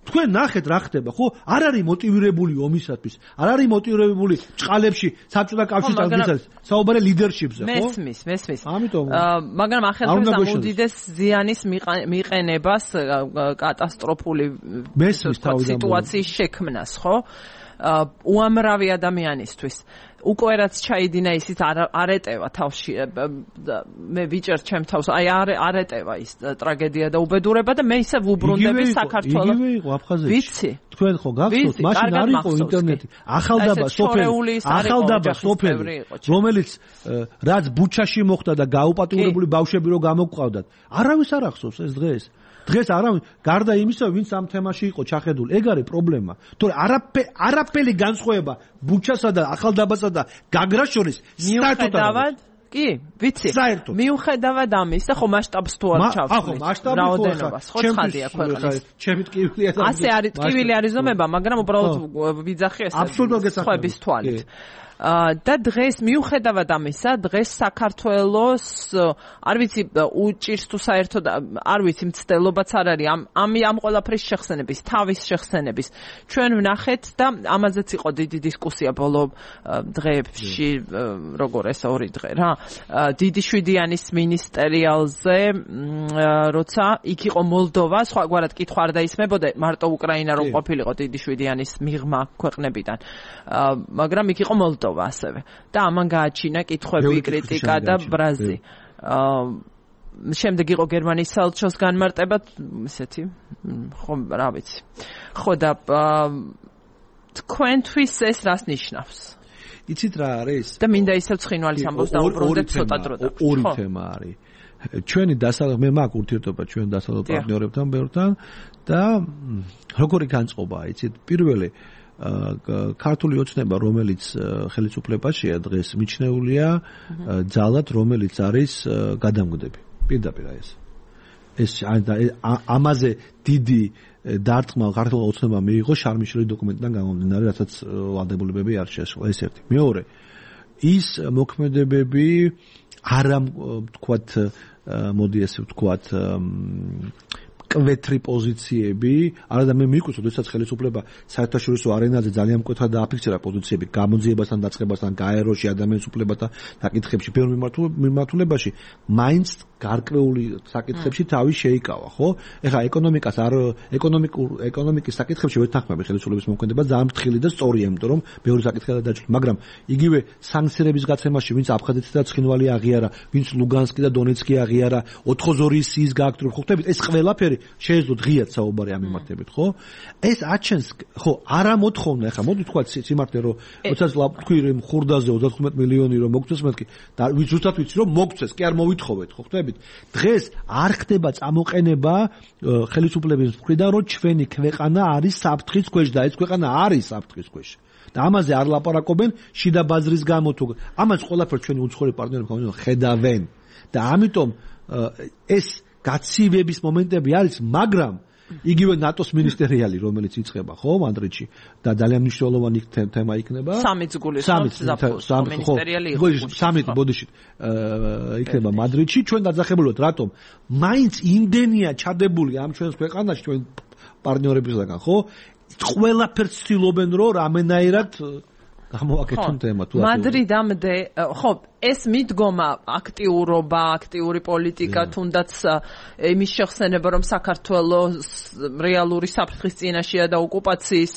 თქვენ ნახეთ რა ხდება ხო არ არის მოტივირებული ომისათვის არ არის მოტივირებული ჭყალებში საბჭოთა კავშირის საუბარი ლიდერშიპზე ხო მესმის მესმის ამიტომ მაგრამ ახალგაზრდა უდიდეს ზიანის მიყენებას კატასტროფული სიტუაციის შექმნას ხო უამრავი ადამიანისთვის უკვე რაც ჩაიდინა ისიც არ ეტევა თავში მე ვიჭერ ჩემ თავს აი არ ეტევა ის ტრაგედია და უბედურება და მე ისე ვუბრუნდები საქართველოს იგივე იყო აფხაზეთში ვიცი თქვენ ხო გახსოვთ მაშინ არ იყო ინტერნეტი ახალდაბა სოფელი ახალდაბა სოფელი რომელიც რაც ბუჩაში მოხდა და გაუპატიურებული ბავშვები რო გამოგვყავდათ არავის არ ახსოვს ეს დღეს დღეს არავინ გარდა იმისა ვინც ამ თემაში იყო ჩახედული ეგ არის პრობლემა თორე არაფერი არაფერი განსხვავება ბუჩასა და ახალდაბასა და გაგრას შორის მიუხედავად კი ვიცი მიუხედავად ამისა ხო მასშტაბს თუ არ ჩავთვლით ხო მასშტაბი ხო ხადია ქვეყნის ჩემი ტკივილია ასე არის ტკივილი არის ზომება მაგრამ უბრალოდ ვიძახი ეს სხვების თვალით და დღეს მიუხედავად ამისა დღეს საქართველოს არ ვიცი უჭირს თუ საერთოდ არ ვიცი მცდელობაც არ არის ამ ამ ამ ყველაფრის შეხსენების თავის შეხსენების ჩვენ ვნახეთ და ამაზეც იყო დიდი დისკუსია ბოლო დღეებში როგორ ეს ორი დღე რა დიდი შვიდიანის მინისტერიალზე როცა იქ იყო მოლდოვა სხვაგვარად კითხვა არ დაისმებოდა მარტო უკრაინა რომ ყოფილიყო დიდი შვიდიანის მიღმა ქვეყნებიდან მაგრამ იქ იყო მოლდოვა ასევე და ამან გააჩინა კითხვები, კრიტიკა და ბრაზი. აა შემდეგ იყო გერმანიის საელჩოს განმარტება, ესეთი, ხო, რა ვიცი. ხო და თქვენთვის ეს რას ნიშნავს? იცით რა არის? და მინდა ისევ ცხინვალის ამბავს დაუბრუნდეთ ცოტა დრო და. ორი თემა არის. ჩვენი დასავლეთ მე მაქვს ურთიერთობა ჩვენ დასავლეთ პარტნიორებთან ბევრთან და როგორი განწყობაა, იცით? პირველი ქართული ოცნება, რომელიც ხელისუფლებაშია დღეს მიჩნეულია ძალად, რომელიც არის გადამგდები. პირდაპირ ეს. ეს ამაზე დიდი დარტყმა ქართულ ოცნებამ მიიღო შარმიშელის დოკუმენტიდან გამომდინარე, რასაც ვალდებულებები არ შეასრულა. ეს ერთი. მეორე, ის მოქმედებები არა ვთქვათ, მოდი ესე ვთქვათ, კვეთრი პოზიციები, არადა მე მიგვიწევს, როდესაც ხელისუფლება საერთაშორისო არენაზე ძალიან მკვეთრად დააფიქსირა პოზიციები გამოძიებასთან, დაწყებასთან, გაეროში, ადამიანის უფლებათა საკითხებში, ბევრ მიმართულებაში, მაინც გარკვეული საკითხებში თავი შეიკავა, ხო? ეხლა ეკონომიკას არ ეკონომიკურ ეკონომიკის საკითხებში ვერ თანხმები ხელისუფლების მოქმედება, ძალიან ფრთხილი და სწორია, იმიტომ რომ ბევრი საკითხია დაჭრილი, მაგრამ იგივე სანქციების გაცემაში, ვინც აფხაზეთი და ცხინვალი აღიარა, ვინც ლუგანსკი და დონეცკი აღიარა, ოთხოზორის სიის გააქტრული, ხო ხტებით, ეს ყველაფერი შეეძლო ღიად საუბარი ამ მიმართებით, ხო? ეს აჩენს, ხო, არა მოთხოვნა, ეხლა მოდი თქვა სიმართლე, რომ როდესაც თქვი რომ ხურდაზე ოცდათხმეტ მილიონი რომ მოგწეს მეთქი და ზუსტად ვიცი რომ მოგწეს, კი არ მოვითხოვეთ, ხო ხტებით? დღეს არ ხდება წამოყენება ხელისუფლების მხრიდან, რომ ჩვენი ქვეყანა არის საფრთხის ქვეშ და ეს ქვეყანა არის საფრთხის ქვეშ. და ამაზე არ ლაპარაკობენ შიდა ბაზრის გამო თუ ამას ყველაფერს ჩვენი უცხოელი პარტნიორები ხედავენ. და ამიტომ ეს გაცივების მომენტები არის, მაგრამ იგივე ნატოს მინისტერიალი, რომელიც იწყება, ხო, მადრიდში და ძალიან მნიშვნელოვანი თემა იქნება. სამიც გულის მინისტერიალი იყო. სამით ბოდიში იქნება მადრიდში. ჩვენ დაძახებულოთ, რატომ? მაინც იმდენია ჩადებული ამ ჩვენს ქვეყანაში, ჩვენ პარტნიორებისგან, ხო? ყველაფერს ცდილობენ, რომ რამენაირად გამოვაკეთონ თემა თუ მადრიდამდე, ხო, ეს მიდგომა აქტიურობა, აქტიური პოლიტიკა, თუნდაც იმის შეხსენება, რომ საქართველოს რეალური საფრთხის წინაშეა და ოკუპაციის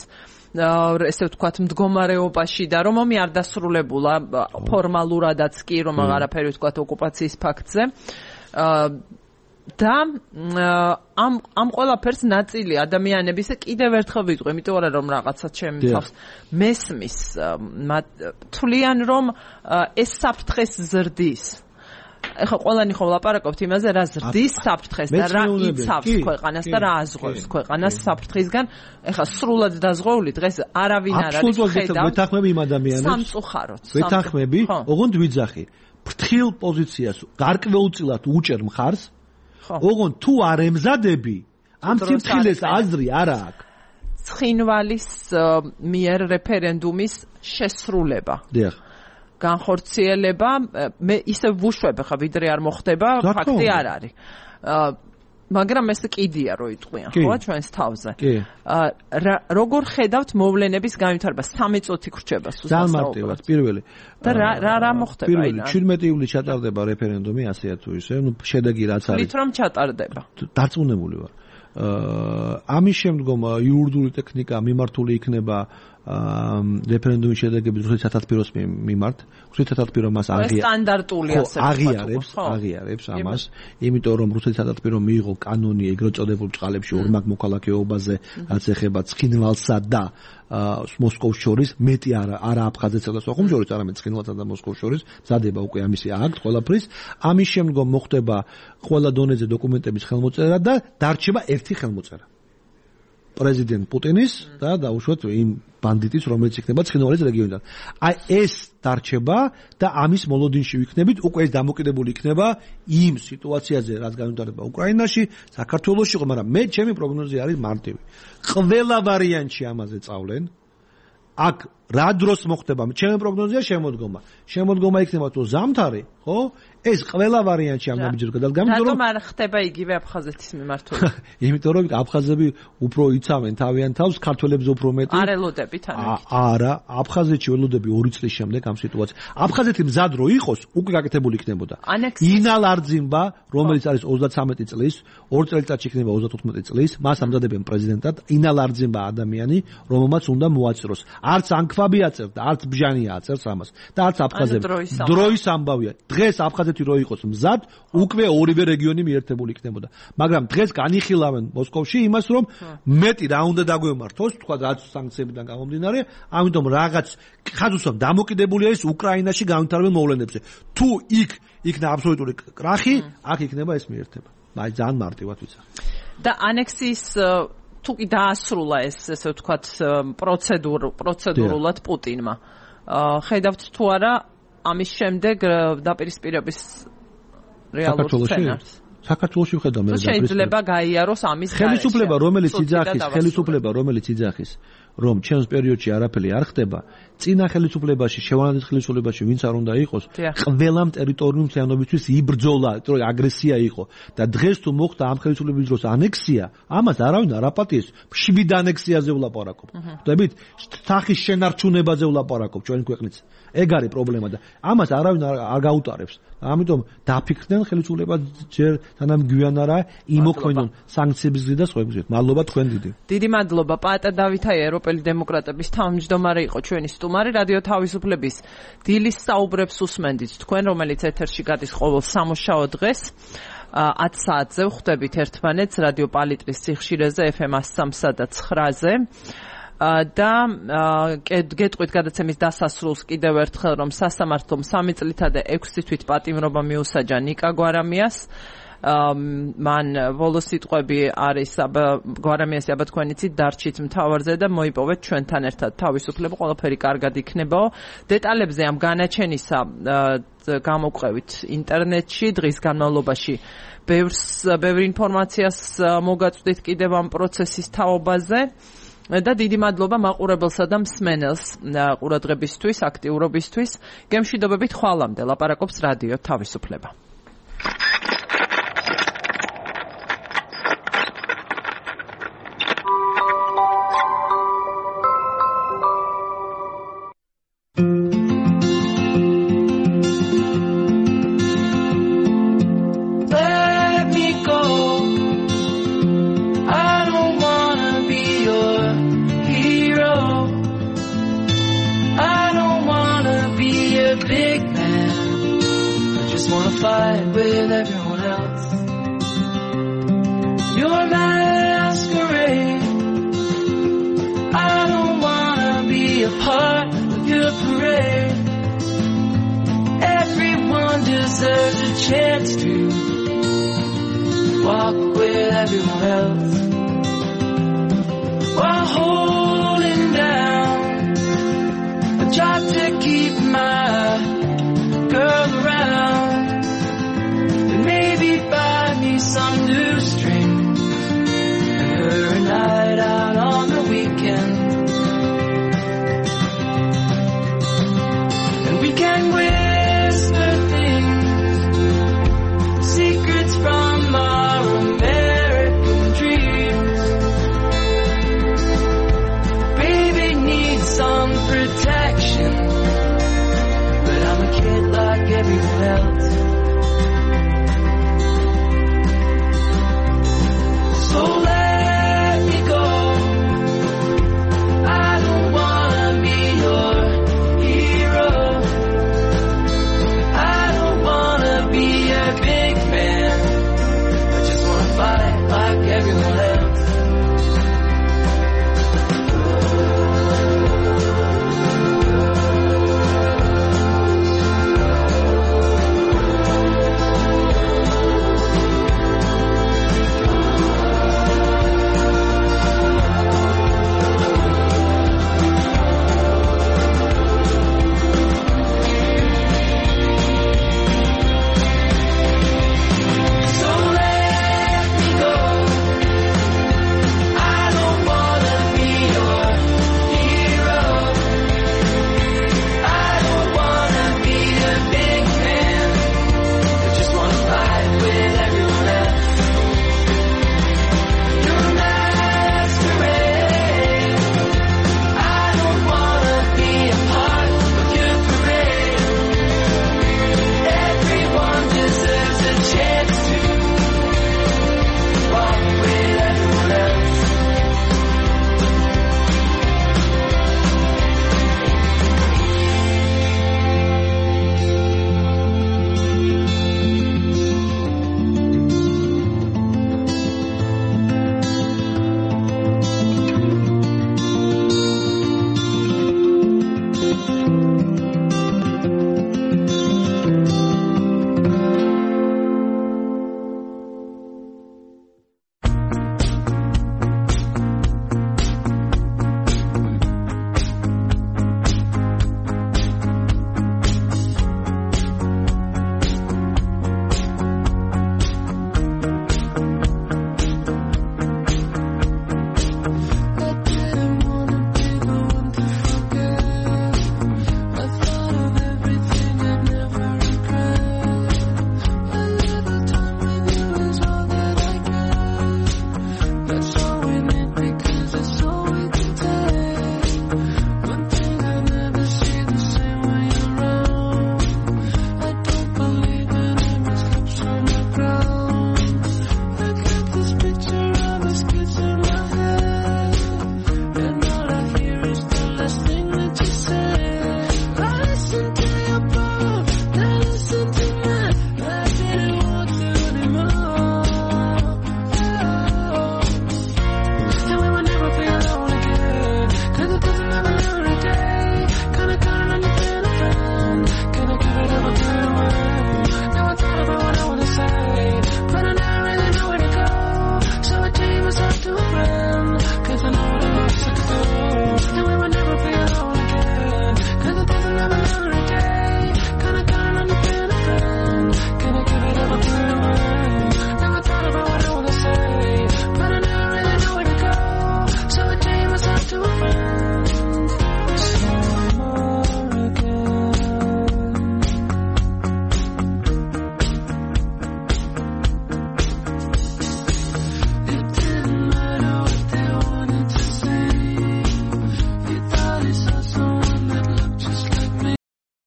ესე ვთქვათ მდგომარეობაში და რომ ომი არ დასრულებულა ფორმალურადაც კი, რომ აღარაფერი ვთქვათ ოკუპაციის ფაქტზე. და ამ ამ ყველაფერს ნაწილი ადამიანების კიდევ ერთხელ ვიტყვი, იმიტომ რომ რაღაცა ჩემი თავს მესმის თვლიან, რომ ეს საფრთხეს ზრდის. ეხლა ყველანი ხო ლაპარაკობთ იმაზე, რა ზრდის საფრთხეს და რა იცავს ქვეყანას და რა აზღვევს ქვეყანას საფრთხისგან. ეხლა სრულად დაზღვეული დღეს არავინ არ არის ხედავს. ვეთანხმები იმ ადამიანებს. სამწუხაროდ. ვეთანხმები, ოღონდ ვიძახი. ფრთხილ პოზიციას გარკვეულწილად უჭერ მხარს. ოღონდ თუ არ ემზადები, ამ ციფრილეს აზრი არა აქვს. ცხინვალის მიერ რეფერენდუმის შესრულება. დიახ. განხორციელება, მე ისე ვუშვებ ხა, ვიდრე არ მოხდება, ფაქტი არ არის. მაგრამ ეს კიდია რო იტყვიან, ხო, ჩვენს თავზე. როგორ ხედავთ მოვლენების განვითარებას? სამი წუთი გრჩება სულ. ძალიან მარტივად, პირველი. და რა რა რა მოხდება პირველი შვიდმეტი ივლისს ჩატარდება რეფერენდუმი, ასეა თუ ისე, ნუ შედეგი რაც არის. თვით რომ ჩატარდება. დარწმუნებული ვარ. ამის შემდგომ იურიდიული ტექნიკა მიმართული იქნება რეფერენდუმის შედეგების რუსეთის სათათბიროს მიმართ. რუსეთის სათათბირო მას სტანდარტულია აღიარებს, აღიარებს ამას, იმიტომ რომ რუსეთის სათათბირო მიიღო კანონი ეგრეთ წოდებულ ბრჭყალებში ორმაგ მოქალაქეობაზე, რაც ეხება ცხინვალსა და მოსკოვს შორის, მეტი არა, არა აფხაზეთსა და სოხუმს შორის, არამედ ცხინვალსა და მოსკოვს შორის, მზადება უკვე ამისი აქტ ყველაფრის. ამის შემდგომ მოხდება ყველა დონეზე დოკუმენტების ხელმოწერა და დარჩება ერთი ხელმოწერა. პრეზიდენტ პუტინის და დაუშვათ იმ ბანდიტის, რომელიც იქნება ცხინვალის რეგიონიდან. აი ეს დარჩება და ამის მოლოდინში ვიქნებით, უკვე ეს დამოკიდებული იქნება იმ სიტუაციაზე, რაც განვითარდება უკრაინაში, საქართველოში, მაგრამ მე ჩემი პროგნოზი არის მარტივი. ყველა ვარიანტში ამაზე წავლენ. აქ რა დროს მოხდება? ჩემი პროგნოზია შემოდგომა. შემოდგომა იქნება თუ ზამთარი, ხო? ეს ყველა ვარიანტში ამ ნაბიჯებს გადადგა, იმიტომ რომ არ ხდება იგივე აფხაზეთის მიმართულებით. იმიტომ რომ აფხაზები უფრო იცავენ თავიანთ თავს, ქართველებს უფრო მეტი. არ ელოდებით ამით. არა, აფხაზეთში ველოდები ორი წლის შემდეგ ამ სიტუაციას. აფხაზეთი მზად რო იყოს, უკვე გაკეთებული იქნებოდა. ინალ არძიმბა, რომელიც არის ოცდათვრამეტი წლის, ორ წელიწადში იქნება ოცდათოთხმეტი წლის, მას ამზადებენ პრეზიდენტად, ინალ არძიმბა ადამიანი, რომელმაც უნდა მოაწიროს. არც ან თქვაბი აწერს და არც ბჟანი აწერს ამას და არც აფხაზები. დროის ამბავია. დღეს აფხაზეთი რო იყოს მზად, უკვე ორივე რეგიონი მიერთებული იქნებოდა. მაგრამ დღეს განიხილავენ მოსკოვში იმას, რომ მეტი რა უნდა დაგვემართოს, თქვა რაც სანქციებიდან გამომდინარე, ამიტომ რაღაც ხაზუსამ დამოკიდებულია ის უკრაინაში განვითარებულ მოვლენებზე. თუ იქ იქნა აბსოლუტური კრახი, აქ იქნება ეს მიერთება. აი ძალიან მარტივად ვიცახ. და ანექსიის თუ კი დაასრულა ეს ესე ვთქვათ პროცედურ პროცედურულად პუტინმა. ხედავთ თუ არა ამის შემდეგ დაპირისპირების რეალურ სცენარს. საქართველოში ვხედავ მე და შეიძლება გაიაროს ამის ხელისუფლება რომელიც იძახის ხელისუფლება რომელიც იძახის რომ ჩემს პერიოდში არაფერი არ ხდება წინა ხელისუფლებაში შევანადის ხელისუფლებაში ვინც არ უნდა იყოს ყველამ ტერიტორიულ მთლიანობისთვის იბრძოლა რომ აგრესია იყო და დღეს თუ მოხდა ამ ხელისუფლების დროს ანექსია ამას არავინ არ აპატიეს შვიდ ანექსიაზე ვლაპარაკობ ხვდებით სახის შენარჩუნებაზე ვლაპარაკობ ჩვენ ქვეყნის ეგ არის პრობლემა და ამას არავინ არ გაუტარებს ამიტომ დაფიქრდნენ ხელისუფლება ჯერ თანამ გვიან არა იმოქმედონ სანქციების გზით და სხვა გზით. მადლობა თქვენ დიდი. დიდი მადლობა პაატა დავითაი ევროპელი დემოკრატების თავმჯდომარე იყო ჩვენი სტუმარი რადიო თავისუფლების დილის საუბრებს უსმენდით თქვენ რომელიც ეთერში გადის ყოველ სამუშაო დღეს ათ საათზე ვხვდებით ერთმანეთს რადიო პალიტრის სიხშირეზე ეფ ემ one oh three და nine-ზე და გეტყვით გადაცემის დასასრულს კიდევ ერთხელ რომ სასამართლომ სამი წლითა და ექვსი თვით პატიმრობა მიუსაჯა ნიკა გვარამიას მან ბოლოს სიტყვები არის გვარამიასი აბა თქვენ იცით დარჩით მთავარზე და მოიპოვეთ ჩვენთან ერთად თავისუფლება ყველაფერი კარგად იქნებაო დეტალებზე ამ განაჩენისა გამოვყევით ინტერნეტში დღის განმავლობაში ბევრს ბევრ ინფორმაციას მოგაწვდით კიდევ ამ პროცესის თაობაზე და დიდი მადლობა მაყურებელსა და მსმენელს ყურადღებისთვის, აქტიურობისთვის. გემშვიდობებით ხვალამდე ლაპარაკობს რადიო თავისუფლება. Fight with everyone else. You're my masquerade. I don't wanna be a part of your parade. Everyone deserves a chance to walk with everyone else while holding down a job to keep my girl around. Maybe buy me some new strings and her a night out on the weekend. And we can wait.